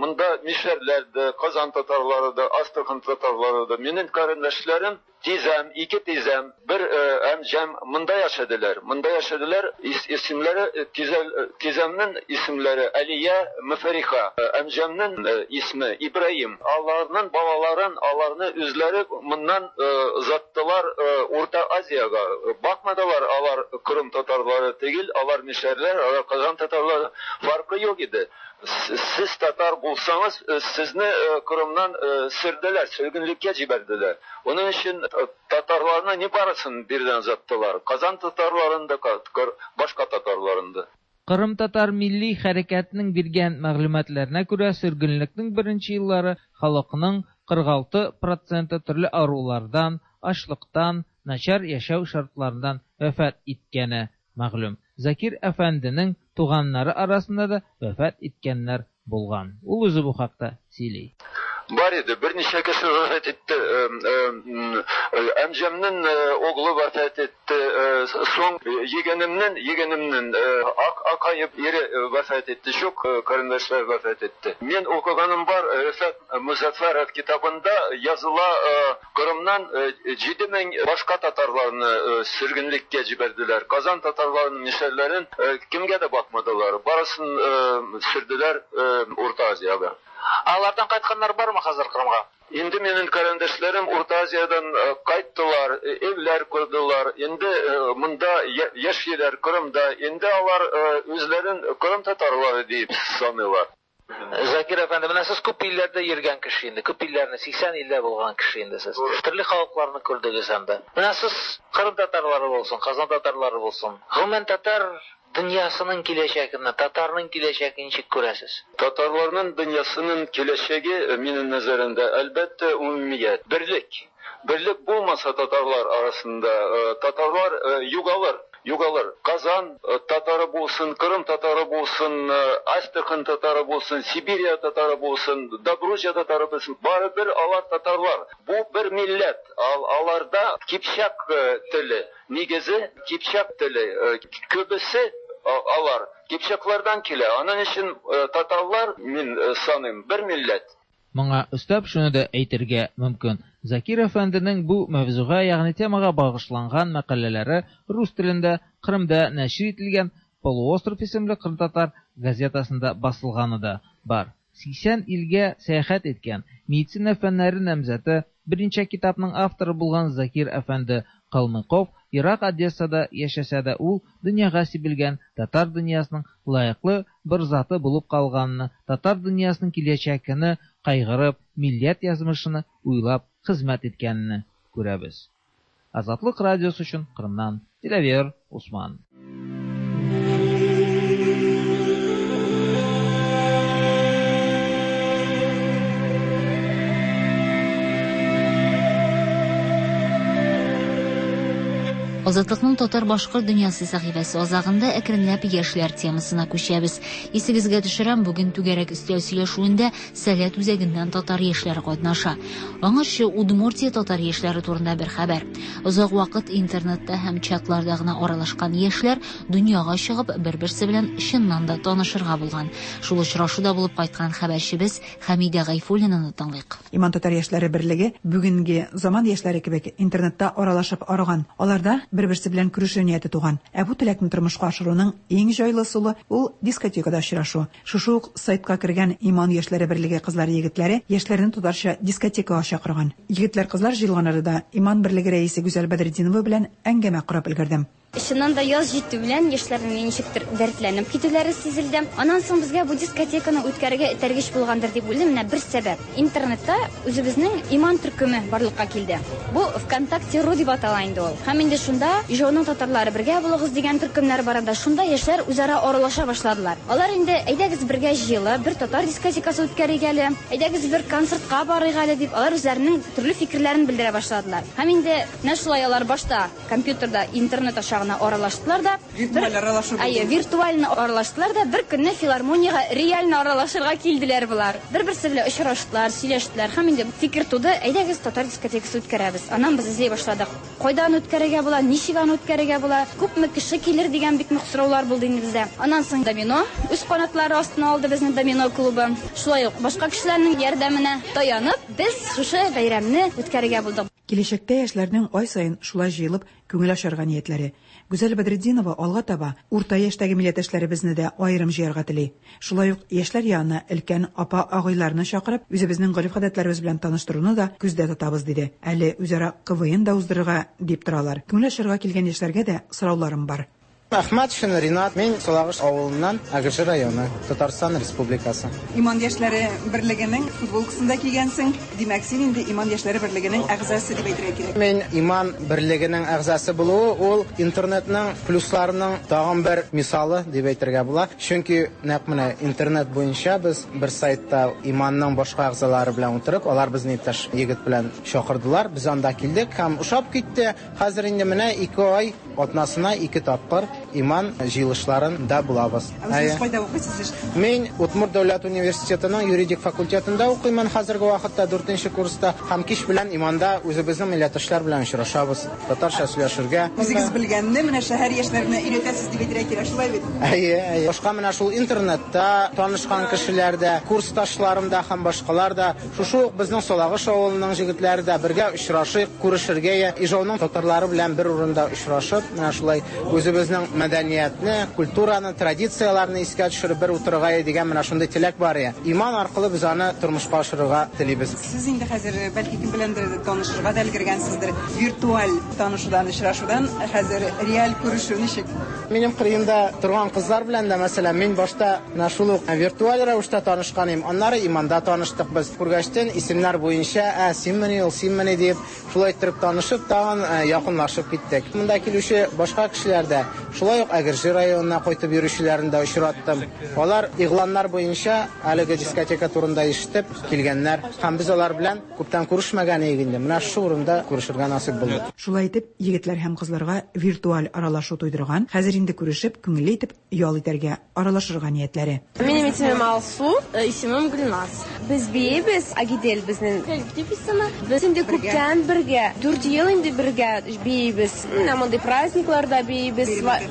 монда мишәрләр дә, Казан татарлары да, Астрахань татарлары да. Минем карендәшләрем, тизәм, ике тизәм, бер әмҗәм монда яшәделәр. Монда яшәделәр, исемләре тизәмнең исемләре Алия, Мөфәриха, әмҗәмнең исме Ибраһим. Аларның балаларын, аларны үзләре моннан озаттылар Урта Азиягә. Бакмадылар, алар Кырым татарлары түгел, алар мишәрләр, алар Казан татарлары, фаркы юк иде. Сез татар булсаңыз, сезне Кырымнан сөрделәр, сөргенлеккә җибәрделәр. Оның өчен татарларны не барысын бирдән озаттылар. Казан татарларын да, башка татарларын да. Кырым татар милли хәрәкәтенең биргән мәгълүматларына күрә, сөргенлекнең беренче еллары халыкның 46 проценты төрле авырулардан, ачлыктан, начар яшәү шартларыннан вафат иткәне мәгълүм. Закир әфәнденең туганнары арасында да вафат иткәннәр булган. Ул үзе бу хакта сөйли. Бар иде, берничә кеше вафат итте. Әмҗәмнең оглы вафат итте. Соң егенемнең акайып ире вафат итте. Чок карындашлар вафат итте. Мин укыганым бар, Рәфәт Музаффаров китабында языла, Кырымнан 7000 башка татарларны сөргенлеккә җибәрделәр. Казан татарларының мишәрләрен кемгә дә бакмадылар. Барысын сөрделәр Урта Азиягә. Алардан кайтканнар бармы хәзер Кырымга? Инде минем карендәшләрем Урта Азиядән кайттылар, эвләр кордылар. Инде монда яшиләр Кырымда. Инде алар үзләрен Кырым татарлары дип саныйлар. Закир әфәнде, менә сез күп илләрдә йөргән кеше инде, күп илләрне, 80 илдә булган кеше инде сез. Төрле халыкларны күрдегез анда. Менә сез Кырым татарлары булсын, Казан татарлары булсын. Гомумән татар дөньясының киләчәген, татарның киләчәген ничек күрәсез? Татарларның дөньясының киләчәге минем нәзәремдә, әлбәттә, умумият, берлек. Берлек булмаса татарлар арасында, татарлар югалыр. Югалыр. Казан татары булсын, Кырым татары булсын, Астрахань татары булсын, Сибирия татары булсын, Добруджа татары булсын, барыбер алар татарлар. Бу бер милләт. Аларда кипчак теле, нигезе кипчак теле. Күбесе алар кипчаклардан килә. Аның өчен татарлар, мин саныйм, бер милләт. Моңа өстәп шуны да әйтергә мөмкин. Закир әфәнденең бу мавзуга, ягъни темага багышланган мәкаләләре рус телендә Кырымда нәшир ителгән Полуостров исемле кырымтатар газетасында басылганы да бар. 80 илгә сәяхәт иткән, медицина фәннәре намзәте, берничә китапның авторы булган Закир әфәнде Калмыков ерак Одессада яшәсә дә, ул дөньяга сибелгән татар дөньясының лаеклы бер заты булып калганны, татар дөньясының киләчәгене кайгырып, милләт язмышыны уйлап хезмәт иткәнне күрәбез. Азатлык радиосы өчен Кырымнан Диләвер Усман. Азатлыкның татар-башкорт дөньясы сәхифәсе азагында әкренләп яшьләр темасына күчәбез. Исегезгә төшерәм, бүген түгәрәк өстәл сөйләшүендә Сәләт үзәгеннән татар яшьләре катнаша. Аңарчы Удмуртия татар яшьләре турында бер хәбәр. Озак вакыт интернетта һәм чатларда гына аралашкан яшьләр дөньяга чыгып, бер-берсе белән чыннан да танышырга булган. Шул очрашуда булып кайткан хәбәрчебез Хәмидә Гайфуллинаны тыңлыйк. Иман татар яшьләре берлеге бүгенге заман яшьләре кебек интернетта аралашып арыган. Аларда бер-берсе белән күрешү нияте туган. Ә бу теләкне тормышка ашыруның иң җайлы ысулы ул дискотекада очрашу. Шушы ук сайтка кергән Иман яшьләре берлеге кызлары-егетләре яшьләрне татарча дискотекага чакырган. Егетләр-кызлар җыелган арада Иман берлеге рәисе Гүзәл Бәдретдинова белән әңгәмә корып өлгердем. Чыннан да, яз җитү белән яшьләрнең ничектер дәртләнеп китүләре сизелде. Аннан соң безгә бу дискотеканы үткәрергә этәргеч булгандыр дип уйлыйм. Менә бер сәбәп. Интернетта үзебезнең Иман төркеме барлыкка килде. Бу ВКонтакте ру дип атала инде ул. Һәм инде шунда Ижауның татарлары бергә булыгыз дигән төркемнәр бар анда. Шунда яшьләр үзара аралаша башладылар. Алар инде, әйдәгез бергә җыелып, бер татар дискотекасы үткәрик әле, әйдәгез бер концертка барыйк әле дип, алар үзләренең төрле фикерләрен белдерә башладылар. Һәм инде менә шулай алар башта компьютерда интернет аша гына аралаштылар да. Виртуаль аралашу булды. Әйе, виртуально аралаштылар да, бер көнне филармониягә реально аралашырга килделәр болар. Бер-берсе белән очраштылар, сөйләштеләр һәм инде фикер туды, әйдәгез татар дискотекасы үткәрәбез. Аннан без эзли башладык. Кайда аны үткәрергә була, ничек аны үткәрергә була, күпме кеше килер дигән бик нык сораулар булды инде бездә. Аннан соң Домино үз канатлары астына алды безне Домино клубы. Шулай ук башка кешеләрнең ярдәменә таянып, без шушы бәйрәмне үткәрергә булдык. Киләчәктә яшьләрнең ай саен шулай җыелып, күңел ачарга ниятләре. Гүзәл Бәдретдинова алга таба урта яшьтәге милләттәшләребезне дә аерым җыярга тели. Шулай ук яшьләр янына өлкән апа-агайларны чакырып, үзебезнең гореф-гадәтләребез белән таныштыруны да күздә тотабыз, диде. Әле үзара КВН да уздырырга дип торалар. Күңел ачарга килгән яшьләргә дә сорауларым бар. Әхмәтшин Ринат, мин Салагыш авылыннан, Әгерҗе районы, Татарстан Республикасы. Иман яшьләре берлегенең футболкасын да кигәнсең. Димәк, син инде Иман яшьләре берлегенең әгъзасы дип әйтергә кирәк. Мин Иман берлегенең әгъзасы булуы ул интернетның плюсларының тагын бер мисалы дип әйтергә була. Чөнки нәкъ менә интернет буенча без бер сайтта Иманның башка әгъзалары белән утырып, алар безне иптәш егет белән чакырдылар. Без анда килдек һәм ошап китте. Хәзер инде менә ике ай атнасына ике тапкыр Иман җыелышларында булабыз. Ә үзегез кайда укыйсыз? Мин Удмурт дәүләт университетының юридик факультетында укыймын хәзерге вакытта, дүртенче курста. Һәм кич белән Иманда үзебезнең милләттәшләр белән очрашабыз, татарча сөйләшергә. Үзегез белгәнне менә шәһәр яшьләренә өйрәтәсез дип әйтергә кирәк, шулай бит? Әйе, әйе. Башка менә шул интернетта танышкан кешеләр дә, курсташларым да һәм башкалар да, Шушы ук безнең Салагыш авылының җегетләре дә бергә очрашыйк, күрешергә я Ижауның татарлары белән бер урында очрашып, менә шулай үзебезнең мәдәниятне, культураны, традицияләрне искә төшереп бер утырырга дигән менә шундый теләк бар я. Иман аркылы без аны тормышка ашырырга телибез. Сез инде хәзер бәлки кем беләндер танышырга да өлгергәнсездер. Виртуаль танышудан, очрашудан хәзер реаль күрешү ничек? Минем кырыемда торган кызлар белән дә, мәсәлән, мин башта менә шул ук виртуаль рәвештә танышкан идем. Аннары Иманда таныштык без. Күргәчтен исемнәр буенча, ә, синмени ул, синмени дип, шулай иттереп танышып, тагын якынлашып киттек. Монда килүче башка кешеләр дә, шулай ук Әгерҗе районына кайтып йөрүчеләрне дә очраттым. Алар игъланнар буенча әлеге дискотека турында ишетеп килгәннәр. Һәм без алар белән күптән күрешмәгән идек инде. Менә шушы урында күрешергә насыйп булды. Шулай итеп, егетләр һәм кызларга виртуаль аралашу туйдырган, хәзер инде күрешеп, күңелле итеп ял итәргә, аралашырга ниятләре. Минем исемем Алсу, исемем Гөлназ. Без биибез, Агидель безнең коллектив исеме. Без инде күптән бергә, 4 ел инде бергә биибез. Менә мондый праздникларда биибез,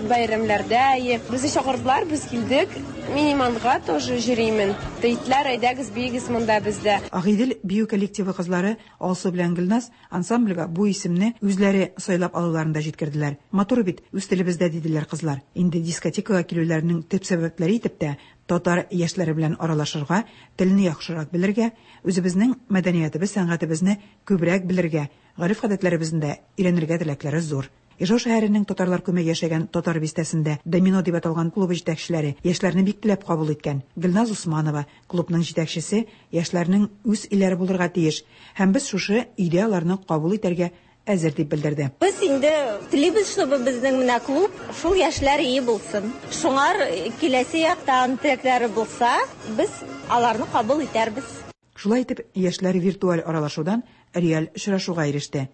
бәйрәмнәрдә. Безне чакырдылар, без килдек. Мин Иманга тоже йөримен. Әйттеләр, әйдәгез, биегез монда бездә. Агыйдел бию коллективы кызлары Алсу белән Гөлназ ансамбльгә бу исемне үзләре сайлап алуларын да җиткерделәр. Матур бит, үз телебездә, диделәр кызлар. Инде дискотекага килүләренең төп сәбәпләре итеп тә татар яшьләре белән аралашырга, телне яхшырак белергә, үзебезнең мәдәниятебез, сәнгатебезне күбрәк белергә, гореф-гадәтләребезне дә өйрәнергә теләкләре зур. Ижау шәһәренең татарлар күмәк яшәгән Татар бистәсендә Домино дип аталган клубы җитәкчеләре яшьләрне бик теләп кабул иткән. Гөлназ Усманова, клубның җитәкчесе, Яшьләрнең үз өйләре булырга тиеш һәм без шушы өйдә аларны кабул итәргә әзер, дип белдерде. Без инде телибез, чтобы безнең менә клуб шул яшьләр өе булсын. Шуңар киләсе яктан теләкләре булса, без аларны кабул итәрбез. Шулай итеп, яшьләр виртуаль аралашудан реаль очрашуга иреште.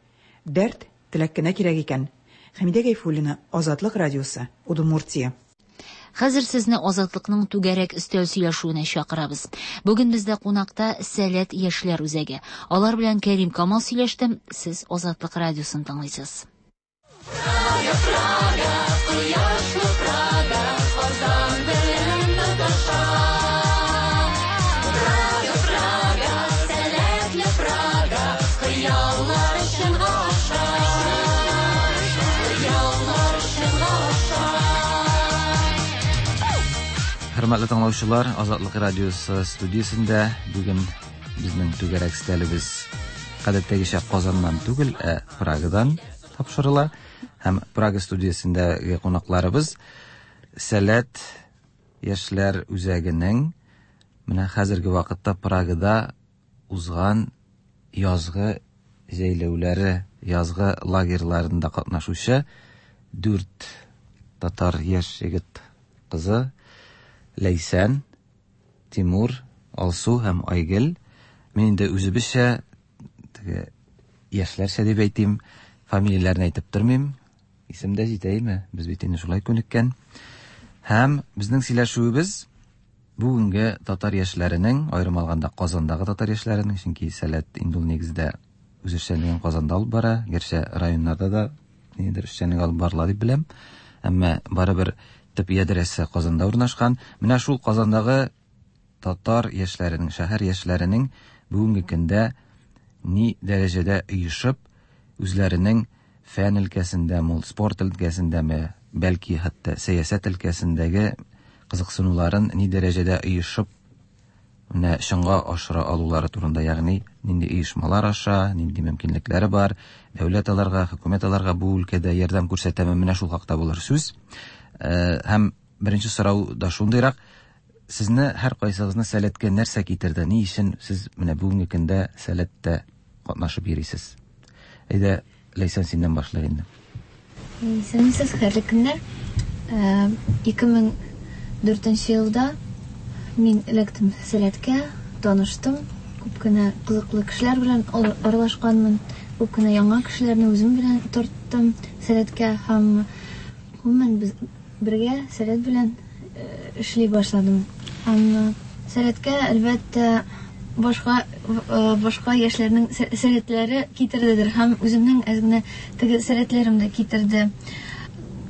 Дәрт, теләк кенә кирәк икән. Хәмидә Гайфуллина, Азатлык радиосы, Удмуртия. Хәзер сезне Азатлыкның түгәрәк өстәл сөйләшүенә чакырабыз. Бүген бездә кунакта Сәләт яшьләр үзәге. Алар белән Кәрим Камал сөйләште. Сез Азатлык радиосын тыңлыйсыз. Прага, Прага, кояшлы Прага, Казан белән тоташа. Прага, Прага, сәләтле Прага, хыяллар чынга аша. Хыяллар чынга аша. Хөрмәтле тыңлаучылар, Азатлык радиосы студиясендә бүген безнең түгәрәк өстәлебез гадәттәгечә Казаннан түгел, ә Прагадан тапшырыла. Һәм Прага студиясендәге кунакларыбыз Сәләт яшьләр үзәгенең менә хәзерге вакытта Прагада узган язгы җәйләүләре, язгы лагерьларында катнашучы дүрт татар яшь егет кызы Ләйсән, Тимур, Алсу һәм Айгөл. Мин инде үзебезчә, теге яшьләрчә дип әйтим, фамилияләрен әйтеп тормыйм. Исем дә җитә име? Без бит инде шулай күнеккән. Һәм безнең сөйләшүебез бүгенге татар яшьләренең, аерым алганда Казандагы татар яшьләренең, чөнки Сәләт инде ул нигездә үз эшчәнлеген Казанда алып бара, гәрчә районнарда да ниндидер эшчәнлек алып барыла дип беләм. Әмма барыбер төп ядрәсе Казанда урнашкан. Менә шул Казандагы татар яшьләренең, шәһәр яшьләренең бүгенге көндә ни дәрәҗәдә оешып, үзләренең фән өлкәсендәме ул, спорт өлкәсендәме, бәлки хәтта сәясәт өлкәсендәге кызыксынуларын ни дәрәҗәдә оешып менә чынга ашыра алулары турында, ягъни нинди оешмалар аша, нинди мөмкинлекләре бар, дәүләт аларга, хөкүмәт аларга бу өлкәдә ярдәм күрсәтәме, менә шул хакта булыр сүз. Һәм беренче сорау да шундыйрак, сезне һәркайсыгызны Сәләткә нәрсә китерде? Ни өчен сез менә бүгенге көндә Сәләттә катнашып йөрисез? Әйдә, Ләйсән, синнән башлыйк инде. Исәнмесез, хәерле көннәр. 2004 елда мин эләктем Сәләткә, таныштым, күп кенә кызыклы кешеләр белән аралашканмын, күп кенә яңа кешеләрне үзем белән тарттым Сәләткә һәм гомумән без бергә Сәләт белән эшли башладым. Һәм Сәләткә, әлбәттә, башка башка яшьләрнең сәләтләре китердедер һәм үземнең әз генә теге сәләтләрем дә китерде.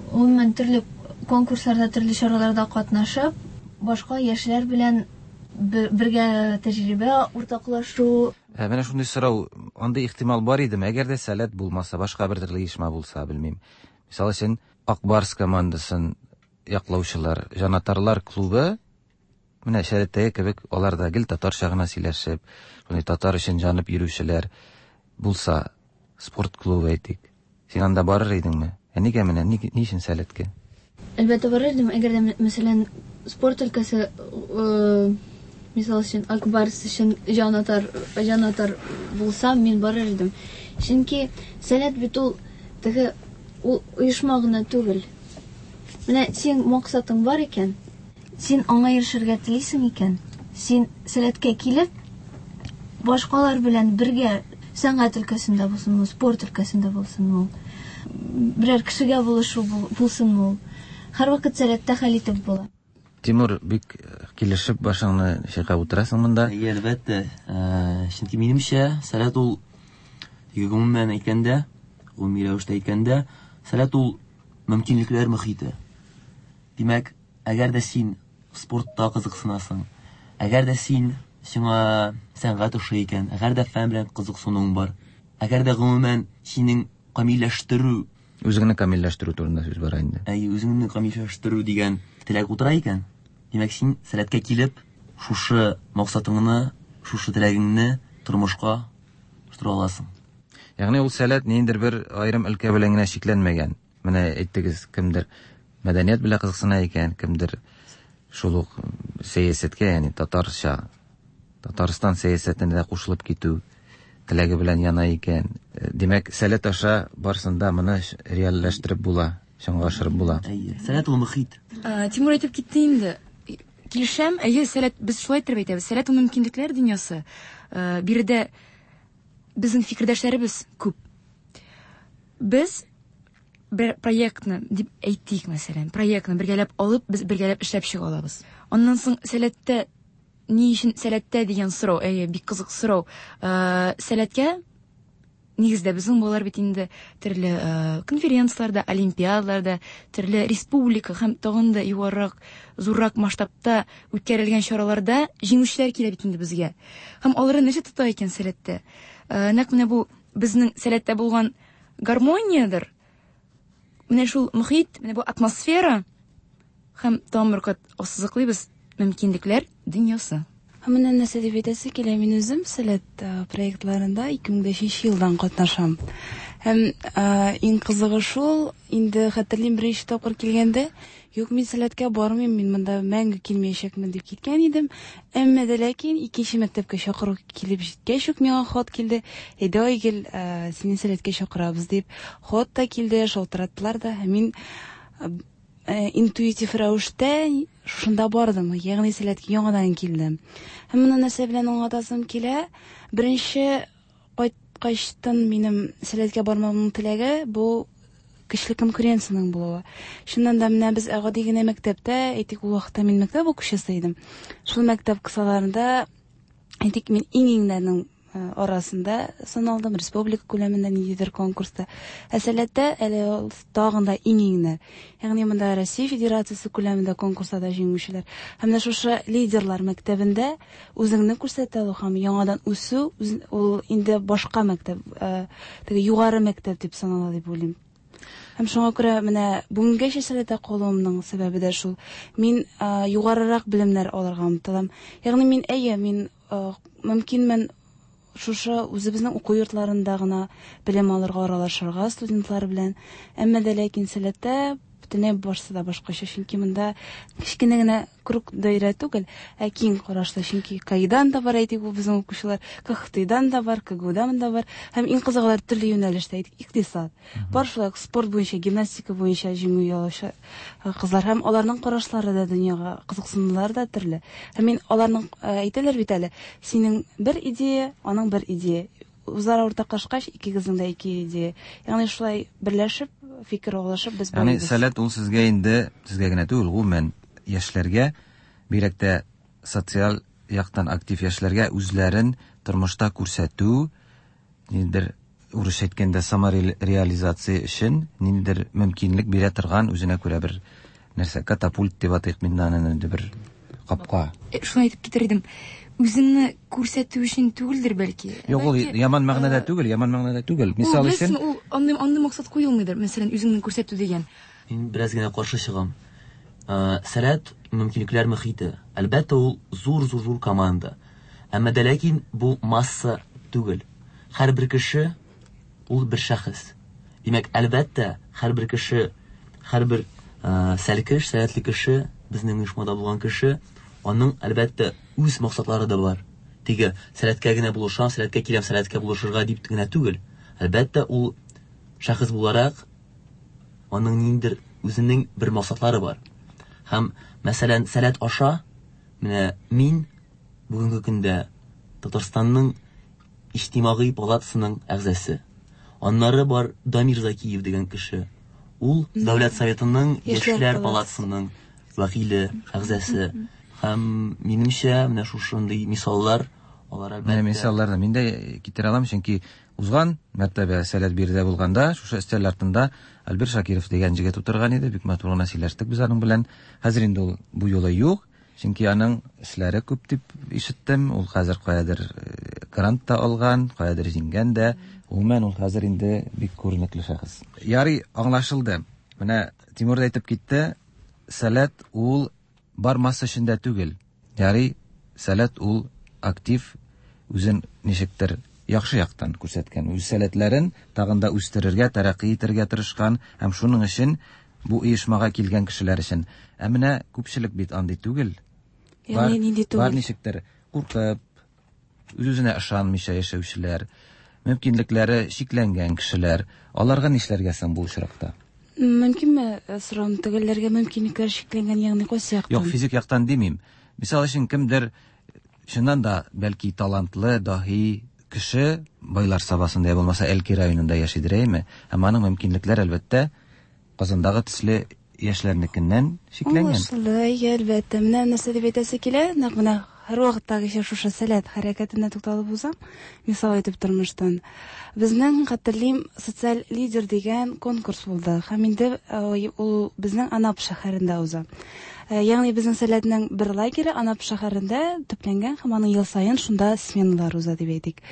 Гомумән, төрле конкурсларда, төрле чараларда катнашып, башка яшьләр белән бергә тәҗрибә уртаклашу. Ә менә шундый сорау, андый ихтимал бар идеме, әгәр дә Сәләт булмаса, башка бер төрле оешма булса, белмим. Мисал өчен, Ак Барс командасын яклаучылар, җанатарлар клубы, менә Сәләттәге кебек, алар да гел татарча гына сөйләшеп, шундый татар өчен җанып йөрүчеләр булса, спорт клубы әйтик. Син анда барыр идеңме? Ә нигә менә, ни, ни өчен Сәләткә? Әлбәттә барыр идем, әгәр дә, мәсәлән, спорт өлкәсе, мисал өчен, Ак Барс өчен җанатар, җанатар булсам, мин барыр идем. Чөнки Сәләт бит ул теге ул оешма гына түгел. Менә синең максатың бар икән, син аңа ирешергә телисең икән, син Сәләткә килеп, башкалар белән бергә сәнгать өлкәсендә булсынмы, спорт өлкәсендә булсынмы ул, берәр кешегә булышу булсынмы ул, һәрвакыт Сәләттә хәл итеп була. Тимур, бик килешеп башыңны чайкап утырасың монда. Әйе, әлбәттә. Чөнки минемчә, Сәләт ул, гомумән әйткәндә, гомуми рәвештә әйткәндә, Сәләт ул мөмкинлекләр мөхите. Димәк, әгәр дә син спортта кызыксынасың, әгәр дә син сиңа сәнгать ошый икән, әгәр дә фән белән кызыксынуың бар, әгәр дә гомумән синең камилләштерү Үзеңне камилләштерү турында сүз бара инде. Әйе, үзеңне камилләштерү дигән теләк утыра икән, димәк, син Сәләткә килеп, шушы максатыңны, шушы теләгеңне тормышка ашыра аласың. Ягъни ул Сәләт ниндидер бер аерым өлкә белән генә чикләнмәгән. Менә әйттегез, кемдер мәдәният белән кызыксына икән, кемдер шул ук сәясәткә, ягъни татарча, Татарстан сәясәтенә дә кушылып китү теләге белән яна икән. Димәк, Сәләт аша барысын да моны реальләштереп була, чынга ашырып була. Әйе, Сәләт ул мөхит. Тимур әйтеп китте инде. Килешәм, әйе, Сәләт, без шулай итеп әйтәбез. Сәләт ул мөмкинлекләр дөньясы. Биредә безнең фикердәшләребез күп. Без бер проектны дип әйтик, мәсәлән, проектны бергәләп алып, без бергәләп эшләп чыга алабыз. Аннан соң Сәләттә ни өчен Сәләттә дигән сорау, әйе, бик кызык сорау. Сәләткә нигездә безнең балалар бит инде төрле конференцияләрдә, олимпиадаларда, төрле республика һәм тагын да югарырак, зуррак масштабта үткәрелгән чараларда җиңүчеләр килә бит инде безгә. Һәм аларны нәрсә тота икән Сәләттә? Нәкъ менә бу безнең Сәләттә булган гармониядер. Менә шул мохит, менә бу атмосфера һәм тагын бер кат ассызыклыйбыз, мөмкинлекләр дөньясы. Һәм менә нәрсә дип әйтәсе килә, мин үзем Сәләт проектларында 2005 елдан катнашам. Һәм иң кызыгы шул, инде хәтерлим, беренче тапкыр килгәндә, юк, мин Сәләткә бармыйм, мин монда мәңге килмәячәкмен дип киткән идем. Әмма дә ләкин икенче мәктәпкә чакыру килеп җиткәч үк миңа хат килде. Әйдә, Айгөл, сине Сәләткә чакырабыз дип. Хат та килде, шалтыраттылар да. Һәм мин интуитив рәвештә шушында бардым, ягъни Сәләткә яңадан килдем. Һәм моны нәрсә белән аңлатасым килә? Беренче кайткачтын минем Сәләткә бармавымның теләге бу көчле конкуренциянең булуы. Чыннан да менә без гади генә мәктәптә, әйтик, ул вакытта мин мәктәп укучысы идем. Шул мәктәп кысаларында, әйтик, мин иң-иңнәрнең арасында саналдым, республика күләмендә ниндидер конкурста. Ә Сәләттә әле ул тагын да иң-иңнәр. Ягъни монда Россия Федерациясе күләмендә конкурста да җиңүчеләр. Һәм менә шушы лидерлар мәктәбендә үзеңне күрсәтә алу һәм яңадан үсү, ул инде башка мәктәп, теге югары мәктәп дип санала дип уйлыйм. Һәм шуңа күрә менә бүгенгәчә Сәләттә калуымның сәбәбе дә шул. Мин югарырак белемнәр алырга омтылам. Ягъни мин, әйе, мин мөмкинмен шушы үзебезнең уку йортларында гына белем алырга, аралашырга студентлар белән. Әмма дә ләкин Сәләттә бөтенләй барысы да башкача, чөнки монда кечкенә генә круг даирә түгел, ә киң карашлы, чөнки КАИдан да бар, әйтик, бу безнең укучылар, КХТИдан да бар, КГУдан да бар, һәм иң кызыгы алар төрле юнәлештә, әйтик, икътисад. Бар шулай ук спорт буенча, гимнастика буенча җиңү яулаучы кызлар, һәм аларның карашлары да дөньяга, кызыксынулары да төрле. Һәм мин аларның, әйтәләр бит әле, синең бер идея, аның бер идея. Үзара уртаклашкач, икегезнең дә ике идея. Ягъни шулай берләшеп, фикер алышып без Ягъни барыбыз. Сәләт ул сезгә инде, сезгә генә түгел, гомумән яшьләргә, бигрәк тә социаль яктан актив яшьләргә үзләрен тормышта күрсәтү, ниндидер урысча әйткәндә самореализация өчен ниндидер мөмкинлек бирә торган үзенә күрә бер нәрсә, катапульт дип атыйк мин аны, инде бер капка. Шуны әйтеп китер идем. Үзеңне күрсәтү өчен түгелдер бәлки. Юк, ул Бәлки, яман мәгънәдә түгел, яман мәгънәдә түгел. Мисал ул, өчен, беләсеңме, ул андый максат куелмыйдыр. Мәсәлән, үзеңне күрсәтү дигән. Мин бераз генә каршы чыгам. Сәләт мөмкинлекләр мөхите. Әлбәттә, ул зур-зур-зур команда. Әмма дә ләкин бу масса түгел. Һәрбер кеше ул бер шәхес. Димәк, әлбәттә, һәрбер кеше, һәрбер сәлкеш, сәләтле кеше, безнең оешмада булган кеше, аның әлбәттә үз максатлары да бар. Теге сәләткә генә булышам, сәләткә киләм, сәләткә булышырга дип генә түгел. Әлбәттә, ул шәхес буларак аның ниндидер үзенең бер максатлары бар. Һәм, мәсәлән, сәләт аша менә мин бүгенге көндә Татарстанның Иҗтимагый палатасының әгъзасы. Аннары бар Дамир Закиев дигән кеше. Ул Дәүләт Советының Яшьләр палатасының вәкиле, әгъзасы. Һәм минемчә, менә шушындый мисаллар, алар әлбәттә. Менә мисалларны мин дә китерә алам, чөнки узган мәртәбә Сәләт биредә булганда, шушы өстәл артында Альбер Шакиров дигән җегет утырган иде, бик матур гына сөйләштек без аның белән. Хәзер инде ул бу юлы юк, чөнки аның эшләре күп дип ишеттем. Ул хәзер каядыр грант та алган, каядыр җиңгән дә. Гомумән, ул хәзер инде бик күренекле шәхес. Ярый, аңлашылды. Менә Тимур да әйтеп китте, Сәләт ул бар масса эчендә түгел. Ярый, Сәләт ул актив, үзен ничектер яхшы яктан күрсәткән, үз сәләтләрен тагын да үстерергә, тәрәкъи итәргә тырышкан һәм шуның өчен бу оешмага килгән кешеләр өчен. Ә менә күпчелек бит андый түгел. Ягъни Бар, нинди түгел? бар ничектер куркып, үз-үзенә ышанмыйча яшәүчеләр, мөмкинлекләре чикләнгән кешеләр. Аларга нишләргә соң бу очракта? Мөмкинме сорауны төгәлләргә? Мөмкинлекләр чикләнгән, ягъни кайсы яктан? Юк, физик яктан димим. Мисал өчен, кемдер чыннан да бәлки талантлы, даһи кеше Байлар Сабасында я булмаса Әлки районында яшидер, әйеме? Һәм аның мөмкинлекләре әлбәттә Казандагы төсле яшьләрнекеннән чикләнгән. Аңлашылды, әйе, әлбәттә. Менә нәрсә дип әйтәсе килә, нәкъ менә һәрвакыттагыча шушы Сәләт хәрәкәтенә тукталып узам, мисал итеп тормыштан. Безнең, хәтерлим, социаль лидер дигән конкурс булды һәм инде э, ул безнең Анап шәһәрендә уза. Э, ягъни безнең Сәләтнең бер лагере Анап шәһәрендә төпләнгән һәм аның ел саен шунда сменалар уза дип әйтик.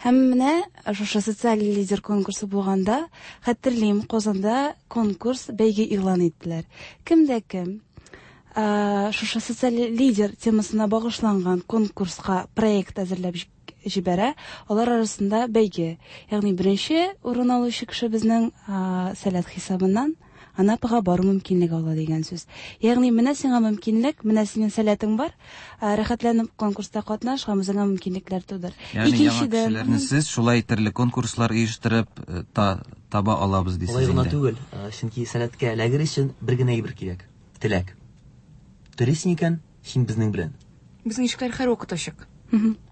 Һәм менә шушы социаль лидер конкурсы булганда, хәтерлим, Казанда конкурс, бәйге игълан иттеләр. Кем дә кем э, шушы социаль лидер темасына багышланган конкурска проект әзерләп җибәрә, алар арасында бәйге. Ягъни беренче урын алучы кеше безнең э, Сәләт хисабыннан Анапага бару мөмкинлеге ала дигән сүз. Ягъни менә сиңа мөмкинлек, менә синең сәләтең бар, э, рәхәтләнеп конкурста катнаш һәм үзеңә мөмкинлекләр тудыр. Ягъни яңа кешеләрне сез шулай төрле конкурслар оештырып э, та, таба алабыз дисез Алай гына инде. түгел, э, чөнки сәләткә эләгер өчен бер генә әйбер кирәк. Теләк. Телисең икән, син безнең белән. Безнең ишекләр һәрвакыт ачык.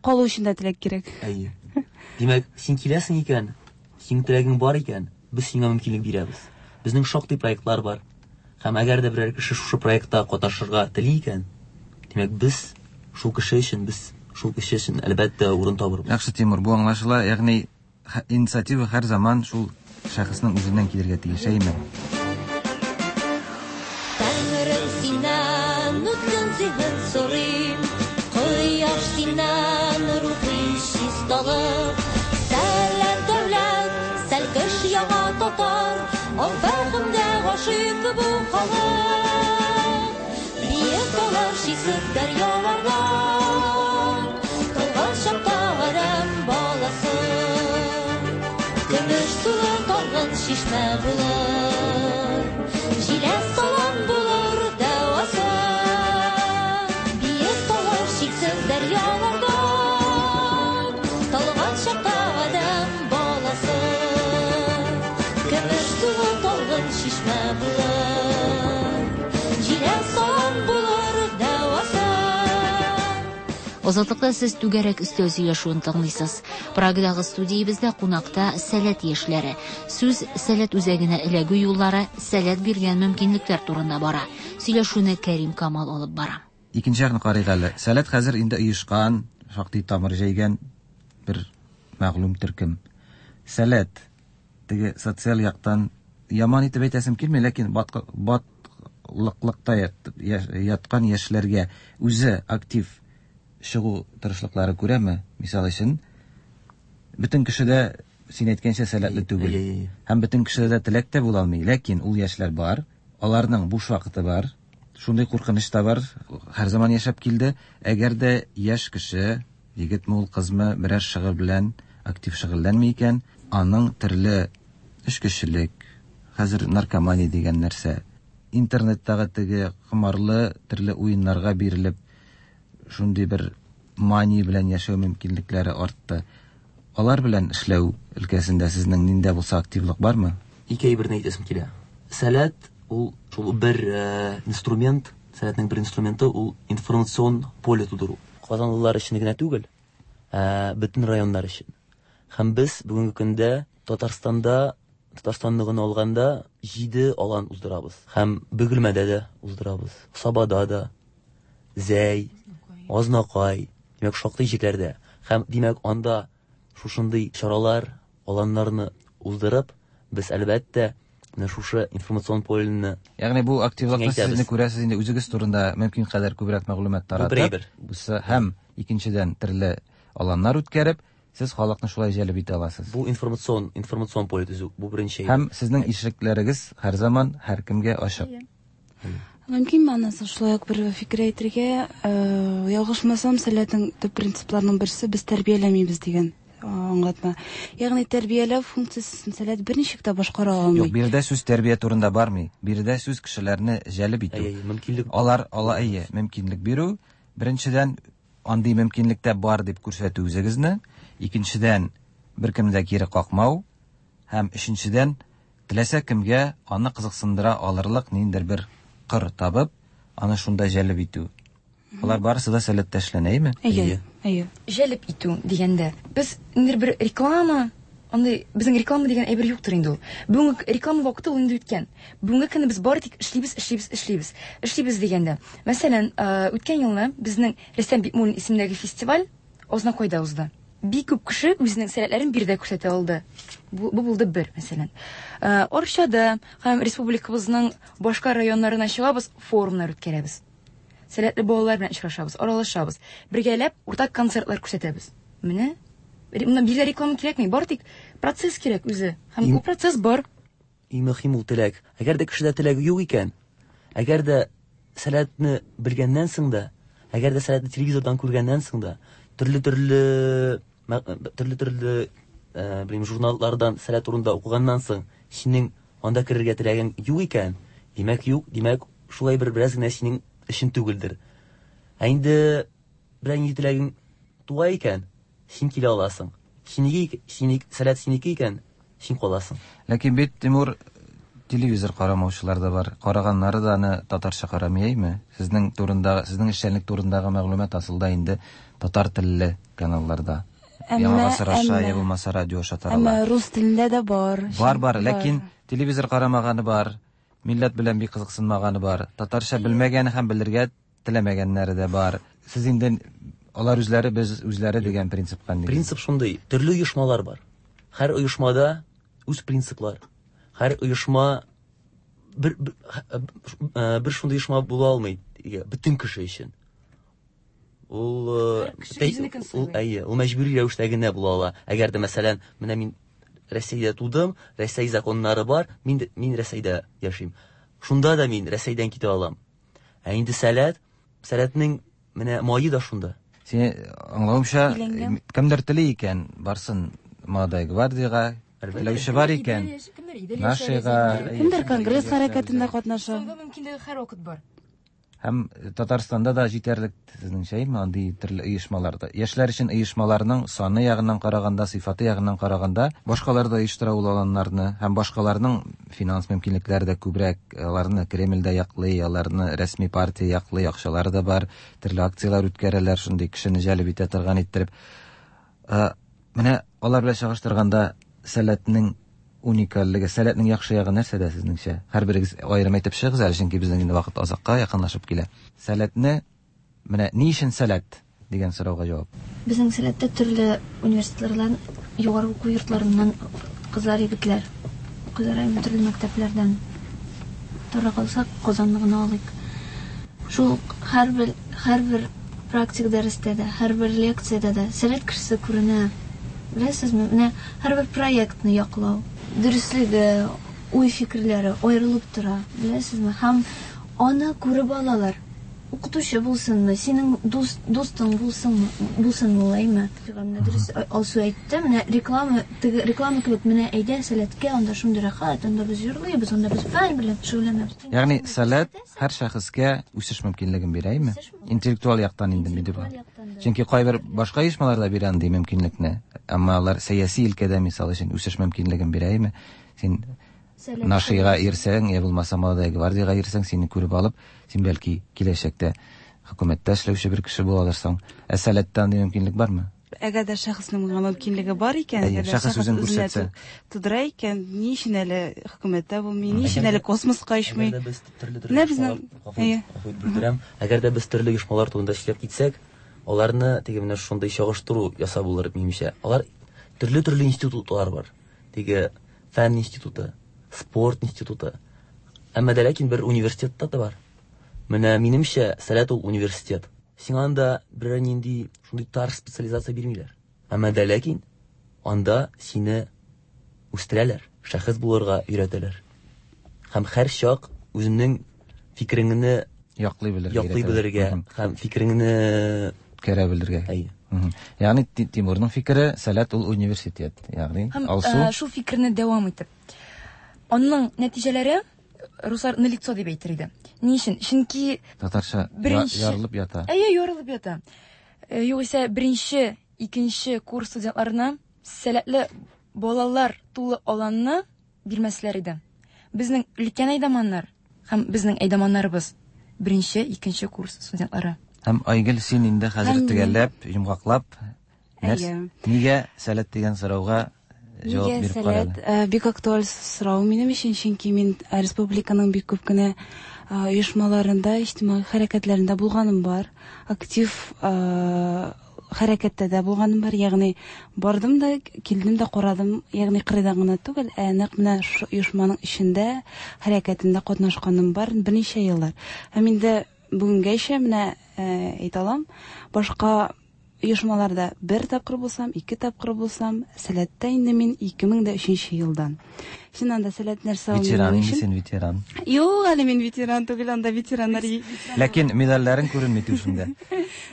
Калу өчен дә теләк кирәк. Әйе. Димәк, син киләсең икән, синең теләгең бар икән, без сиңа мөмкинлек бирәбез. Безнең шактый проектлар бар. Һәм әгәр дә берәр кеше шушы проектта катнашырга тели икән, димәк, без шул кеше өчен, без шул кеше өчен әлбәттә урын табырбыз. Яхшы, Тимур, бу аңлашыла. Ягъни инициатива һәр заман шул шәхеснең үзеннән килергә тиеш, әйеме? Тәңрем синнән үткен зиһен сорыйм, Кояш синнән рухи чисталык. Сәләт дәүләт, сәлкеш яңа татар, Аң фәһемгә гашыйк бу халык. Биек таулар, чиксез дәрьяларда, Талган чакта адәм баласы. Көмеш сулы талгын чишмә булыр, Җиләс салам булыр дәвасы. Биек таулар, чиксез дәрьяларда, Талган чакта адәм баласы. Көмеш сулы талгын чишмә булыр, Җиләс салам булыр дәвасы. Азатлыкта сез түгәрәк өстәл сөйләшүен тыңлыйсыз. Прагадагы студиябездә кунакта Сәләт яшьләре. Сүз Сәләт үзәгенә эләгү юллары, Сәләт биргән мөмкинлекләр турында бара. Сөйләшүне Кәрим Камал алып бара. Икенче якны карыйк әле. Сәләт хәзер инде оешкан, шактый тамыр җәйгән бер мәгълүм төркем. Сәләт теге социаль яктан яман итеп әйтәсем килми, ләкин батлыклыкта яткан яшьләргә үзе актив чыгу тырышлыклары күрәме? Мисал өчен, бөтен кеше дә син әйткәнчә сәләтле түгел. Һәм бөтен кешедә дә теләк тә була алмый. Ләкин ул яшьләр бар, аларның буш вакыты бар. Шундый куркыныч та бар, һәр заман яшәп килде. Әгәр дә яшь кеше, егетме ул, кызмы, берәр шөгыль белән актив шөгыльләнми икән, аның төрле эчкечелек, хәзер наркомания дигән нәрсә, интернеттагы теге комарлы төрле уеннарга бирелеп, шундый бер мания белән яшәү мөмкинлекләре артты. Алар белән эшләү өлкәсендә сезнең нинди булса активлык бармы? Ике әйберне әйтәсем килә. Сәләт ул шул бер инструмент, сәләтнең бер инструменты ул информацион поле тудыру. Казанлылар өчен генә түгел, ә бөтен районнар өчен. Һәм без бүгенге көндә Татарстанда, Татарстанны гына алганда 7 алан уздырабыз. Һәм Бөгелмәдә дә уздырабыз, Сабада да, Зәй, Азнакай, димәк, шактый җирләрдә. Һәм, димәк, анда шушындый чаралар, аланнарны уздырып, без, әлбәттә, менә шушы информацион полены Ягъни бу активлыкны киңәйтәбез. сезне күрәсез инде үзегез турында мөмкин кадәр күбрәк мәгълүмат Бу бер таратып, әйбер. бусы һәм икенчедән төрле аланнар үткәреп, сез халыкны шулай җәлеп итә аласыз. Бу информацион, информацион поле төзү, бу беренче әйбер. Һәм сезнең ишекләрегез һәр заман һәркемгә ачык. Мөмкинме аннан шулай ук бер фикер әйтергә, э, ялгышмасам, Сәләтнең төп принципларының берсе без тәрбияләмибез дигән э, аңлатма. Ягъни тәрбияләү функциясен Сәләт берничек тә башкара алмый. Юк, биредә сүз тәрбия турында бармый. Биредә сүз кешеләрне җәлеп итү. Әйе, мөмкинлек. Алар ала әйе, мөмкинлек бирү. Беренчедән, андый мөмкинлек тә бар дип күрсәтү үзегезне. Икенчедән, беркемне дә кире какмау. Һәм өченчедән, теләсә кемгә аны кызыксындыра алырлык ниндидер бер кыр табып, аны шунда җәлеп итү. Алар барысы да сәләттә эшләнә, әйеме? Әйе, әйе. Җәлеп итү дигәндә, без ниндидер бер реклама Андый безнең реклама дигән әйбер юктыр инде ул. Бүгенге реклама вакыты ул инде үткән. Бүгенге көнне без бары тик эшлибез, эшлибез, эшлибез. Эшлибез дигәндә. Мәсәлән, үткән елны безнең Рөстәм Бикмуллин исемендәге фестиваль Азнакайда узды. Бик күп кеше үзенең сәләтләрен биредә күрсәтә алды. Бу, бу булды бер, мәсәлән. Арчада һәм республикабызның башка районнарына чыгабыз, форумнар үткәрәбез. Сәләтле балалар белән очрашабыз, аралашабыз. Бергәләп уртак концертлар күрсәтәбез. Менә монда биргә реклама кирәкми, бары тик процесс кирәк үзе. Һәм бу процесс бар. Иң мөһим ул теләк. Әгәр дә кешедә теләге юк икән, әгәр дә сәләтне белгәннән соң да, әгәр дә сәләтне телевизордан күргәннән соң да, төрле-төрле төрле-төрле э, белмим, журналлардан сәләт турында укыганнан соң, синең анда керергә теләгең юк икән, димәк юк, димәк шулай бер бераз генә синең өчен түгелдер. Ә инде берәр нинди теләгең туа икән, син килә аласың. Синеке, синеке, сәләт синеке икән, син каласың. Ләкин бит, Тимур, телевизор карамаучылар да бар. Караганнары да аны татарча карамый, әйме? Сезнең турындагы, сезнең эшчәнлек турындагы мәгълүмат асылда инде татар телле каналларда. Яңа гасыр аша, я булмаса радио аша тарала. Әмма рус телендә дә бар. Бар, бар, ләкин телевизор карамаганы бар, милләт белән бик кызыксынмаганы бар, татарча белмәгәне һәм белергә теләмәгәннәре дә бар. Сез инде алар үзләре, без үзләре дигән принципка нигез. Принцип шундый, төрле оешмалар бар. Һәр оешмада үз принциплар. Һәр оешма бер, бер, э, бер шундый оешма була алмый бөтен кеше өчен. Ул э, ул әйе, ул мәҗбүри рәвештә генә була ала. Әгәр дә мәсәлән, менә мин Рәсәйдә тудым, Рәсәй законнары бар, мин мин Рәсәйдә яшим. Шунда да мин Рәсәйдән китә алам. Ә инде сәләт, сәләтнең менә мае да шунда. Син аңлавымча, кемдер тели икән, барсын Молодая гвардияга, теләүче бар икән, Нашига. Кемдер конгресс хәрәкәтендә катнаша. Соңгы мөмкинлеге һәрвакыт бар. Һәм Татарстанда да җитәрлек сезнеңчә, әйеме, андый төрле оешмалар да. Яшьләр өчен оешмаларның саны ягыннан караганда, сыйфаты ягыннан караганда, башкалар да оештыра ул аланнарны һәм башкаларның финанс мөмкинлекләре дә күбрәк, аларны Кремль дә яклый, аларны рәсми партия яклый, акчалары да бар, төрле акцияләр үткәрәләр, шундый кешене җәлеп итә торган иттереп. Менә алар белән чагыштырганда Сәләтнең уникальлеге, Сәләтнең яхшы ягы нәрсәдә сезнеңчә? Һәрберегез аерым әйтеп чыгыгыз әле, чөнки безнең инде вакыт азакка якынлашып килә. Сәләтне менә ни өчен Сәләт дигән сорауга җавап. Безнең Сәләттә төрле университетлардан, югары уку йортларыннан кызлар, егетләр укыйлар, әмма төрле мәктәпләрдән. Тора калсак, Казанны гына алыйк. Шул ук һәрбер, һәрбер практик дәрестә дә, һәрбер лекциядә дә Сәләт кешесе күренә. Беләсезме, менә һәрбер проектны яклау, дөреслеге, уй-фикерләре аерылып тора, беләсезме, һәм аны күреп алалар. Укытучы булсынмы, синең дус, дустың булсынмы, булсынмы ул, әйме? Менә дөрес Алсу әйтте, менә реклама, теге реклама кебек, менә әйдә Сәләткә, анда шундый рәхәт, анда без җырлыйбыз, анда без фән белән шөгыльләнәбез. Ягъни Сәләт һәр шәхескә үсеш мөмкинлеген бирә, әйме? Интеллектуаль яктан инде мин дип. Чөнки кайбер башка оешмалар да бирә андый мөмкинлекне, әмма алар сәяси өлкәдә, мисал өчен, үсеш мөмкинлеген бирә, әйме? Син Нашига йөрсәң, я булмаса Молодая гвардияга йөрсәң, сине күреп алып, син бәлки киләчәктә хөкүмәттә эшләүче бер кеше була алырсың. Ә Сәләттә андый мөмкинлек бармы? Әгәр дә шәхеснең моңа мөмкинлеге бар икән, Әйе, әгәр дә шәхес шәхес үзен үзенә күрсәтсә. тудыра икән, ни өчен әле хөкүмәттә булмый, ни өчен әле космоска очмый? Әгәр дә без төрле-төрле Менә безнең оешмалар, гафу Әйе. гафу итеп бүлдерәм. Әгәр дә без төрле оешмалар турында сөйләп китсәк, аларны теге менә шундый чагыштыру ясап булыр, минемчә. Алар төрле-төрле институтлар бар. Теге фән институты, спорт институты. Әмма дә ләкин бер университетта да бар. Менә минемчә, Сәләт ул университет. Сиңа анда берәр нинди шундый тар специализация бирмиләр. Әмма дә ләкин анда сине үстерәләр, шәхес булырга өйрәтәләр. Һәм һәр чак үзеңнең фикереңне яклый белергә яклый белергә һәм фикереңне үткәрә белергә. Әйе. Ягъни Тимурның фикере, Сәләт ул университет. Ягъни Һәм Алсу э, шул фикерне дәвам итеп. Аның нәтиҗәләре руслар на лицо дип әйтер иде. Ни өчен? Чөнки татарча беренче ярылып ята. Әйе, ярылып ята. Э, югыйсә беренче, икенче курс студентларына сәләтле балалар тулы аланны бирмәсләр иде. Безнең өлкән әйдаманнар һәм безнең әйдаманнарыбыз беренче, икенче курс студентлары. Һәм Айгөл, син инде хәзер Һәм төгәлләп, йомгаклап, нәрс Әйе. нигә сәләт дигән сорауга Җавап Нигә биреп кара Сәләт? әле. Бик актуаль сорау минем өчен, чөнки мин республиканың бик күп кенә оешмаларында, иҗтимагый хәрәкәтләрендә булганым бар. Актив хәрәкәттә дә булганым бар. Ягъни бардым да, килдем дә карадым, ягъни кырыйдан гына түгел, ә нәкъ менә шушы оешманың эчендә, хәрәкәтендә катнашканым бар берничә еллар. Һәм инде бүгенгәчә менә әйтә алам, башка оешмаларда бер тапкыр булсам, ике тапкыр булсам, Сәләттә инде мин 2003 елдан. Чыннан да Сәләт нәрсә ул Ветеран минем инде өчен? син, ветеран. Юк, әле мин ветеран түгел, анда ветераннар Ләкин медальләрең күренми түшеңдә.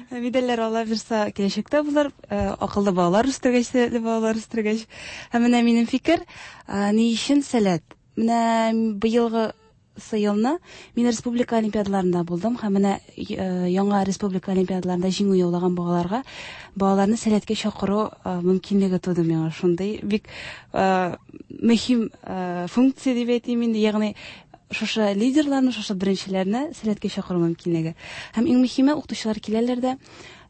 Медальләр ала бирсә киләчәктә булыр, акыллы балалар үстергәч, сәләтле балалар үстергәч. Һәм менә минем фикер, ни өчен Сәләт? Менә быелгы елны мин республика олимпиадаларында булдым һәм менә яңа республика олимпиадаларында җиңү яулаган балаларга балаларны Сәләткә чакыру мөмкинлеге туды миңа. Шундый бик мөһим функция дип әйтим инде, ягъни шушы лидерларны, шушы беренчеләрне Сәләткә чакыру мөмкинлеге. Һәм иң мөһиме, укытучылар киләләр дә,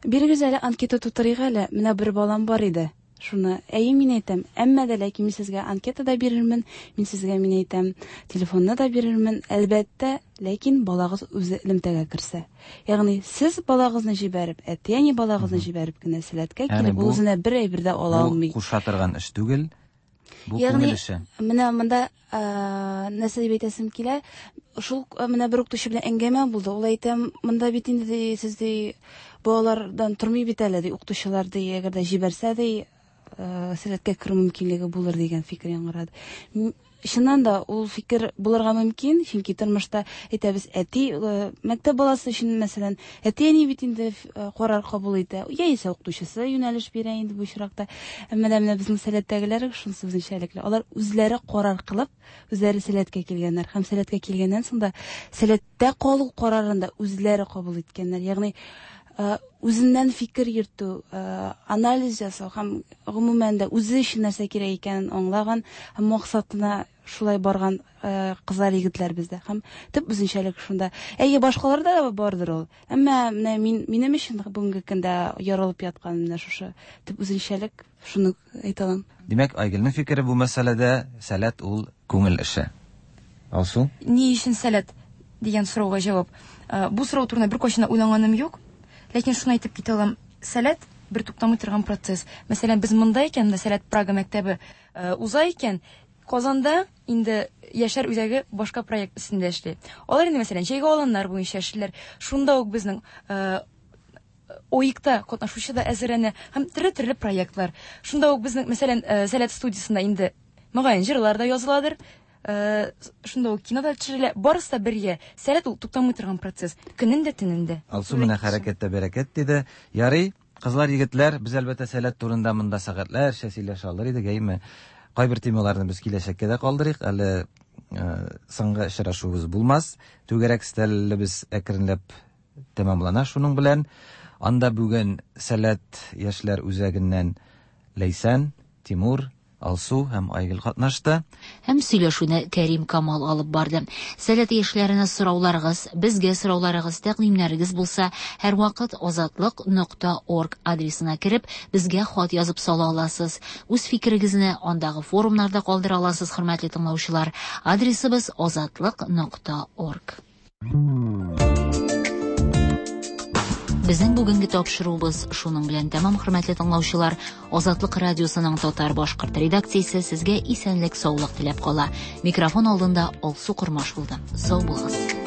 бирегез әле анкета тутырыйк әле, менә бер балам бар иде. Шуны, әйе, мин әйтәм, әмма дә ләкин мин сезгә анкета да бирермен, мин сезгә, мин әйтәм, телефонны да бирермен, әлбәттә, ләкин балагыз үзе элемтәгә керсә. Ягъни сез балагызны җибәреп, әти-әни балагызны җибәреп кенә Сәләткә Ягъни килеп, ул бу- үзенә бер әйбер дә ала Бу алмый. куша торган эш түгел, бу Ягъни, күңел эше. Менә монда нәрсә дип әйтәсем килә, шул менә бер укытучы белән әңгәмә булды. Ул әйтә, монда бит инде ди, сез ди балалардан тормый бит әле ди, укытучылар ди, әгәр дә җибәрсә ди, Сәләткә керү мөмкинлеге булыр дигән фикер яңгырады. Чыннан да ул фикер булырга мөмкин, чөнки тормышта әйтәбез, әти, мәктәп баласы өчен, мәсәлән, әти-әни бит инде карар кабул итә, яисә укытучысы юнәлеш бирә инде бу очракта. Әмма дә менә безнең Сәләттәгеләр шунысы үзенчәлекле. Алар үзләре карар кылып, үзләре Сәләткә килгәннәр һәм Сәләткә килгәннән соң да Сәләттә калу карарын да үзләре кабул иткәннәр. Ягъни үзеннән фикер йөртү, анализ ясау һәм гомумән дә үзе өчен нәрсә кирәк икәнен аңлаган һәм максатына шулай барган кызлар, егетләр бездә. Һәм төп үзенчәлек шунда. Әйе, башкаларда да бардыр ул. Әмма менә минем өчен бүгенге көндә ярылып яткан менә шушы төп үзенчәлек, шуны әйтә алам. Димәк, Айгөлнең фикере бу мәсьәләдә Сәләт ул күңел эше. Алсу? Ни өчен Сәләт дигән сорауга җавап. Бу сорау турында бер кайчан да уйланганым юк. Ләкин шуны әйтеп китә алам. Сәләт бер туктамый торган процесс. Мәсәлән, без монда икән, менә Сәләт Прага мәктәбе уза икән, Казанда инде яшьләр үзәге башка проект өстендә эшли. Алар инде, мәсәлән, җәйге аланнар буенча эшлиләр. Шунда ук безнең ОИКта катнашучы да әзерләнә һәм төрле-төрле проектлар. Шунда ук безнең, мәсәлән, Сәләт студиясендә инде мөгаен җырлар да языладыр. Шунда ук кино да төшерелә. Барысы да бергә. Сәләт ул туктамый торган процесс. Көнен дә, төнен дә. Алсу менә хәрәкәттә бәрәкәт диде. Ярый, кызлар, егетләр, без әлбәттә Сәләт турында монда сәгатьләрчә сөйләшә алыр идек, әйме? Кайбер темаларны без киләчәккә дә калдырыйк. Әле соңгы очрашуыбыз булмас. Түгәрәк өстәлебез әкренләп тәмамлана шуның белән. Анда бүген Сәләт яшьләр үзәгеннән Ләйсән, Тимур, Алсу һәм Айгөл катнашты. Һәм сөйләшүне Кәрим Камал алып барды. Сәләт яшьләренә сорауларыгыз, безгә сорауларыгыз, тәкъдимнәрегез булса, һәрвакыт азатлык нокта орг адресына кереп, безгә хат язып сала аласыз. Үз фикерегезне андагы форумнарда калдыра аласыз, хөрмәтле тыңлаучылар. Адресыбыз азатлык нокта орг. Безнең бүгенге тапшыруыбыз шуның белән тәмам, хөрмәтле тыңлаучылар. Азатлык радиосының татар-башкорт редакциясе сезгә исәнлек, саулык теләп кала. Микрофон алдында Алсу Кормаш булды. Сау булыгыз.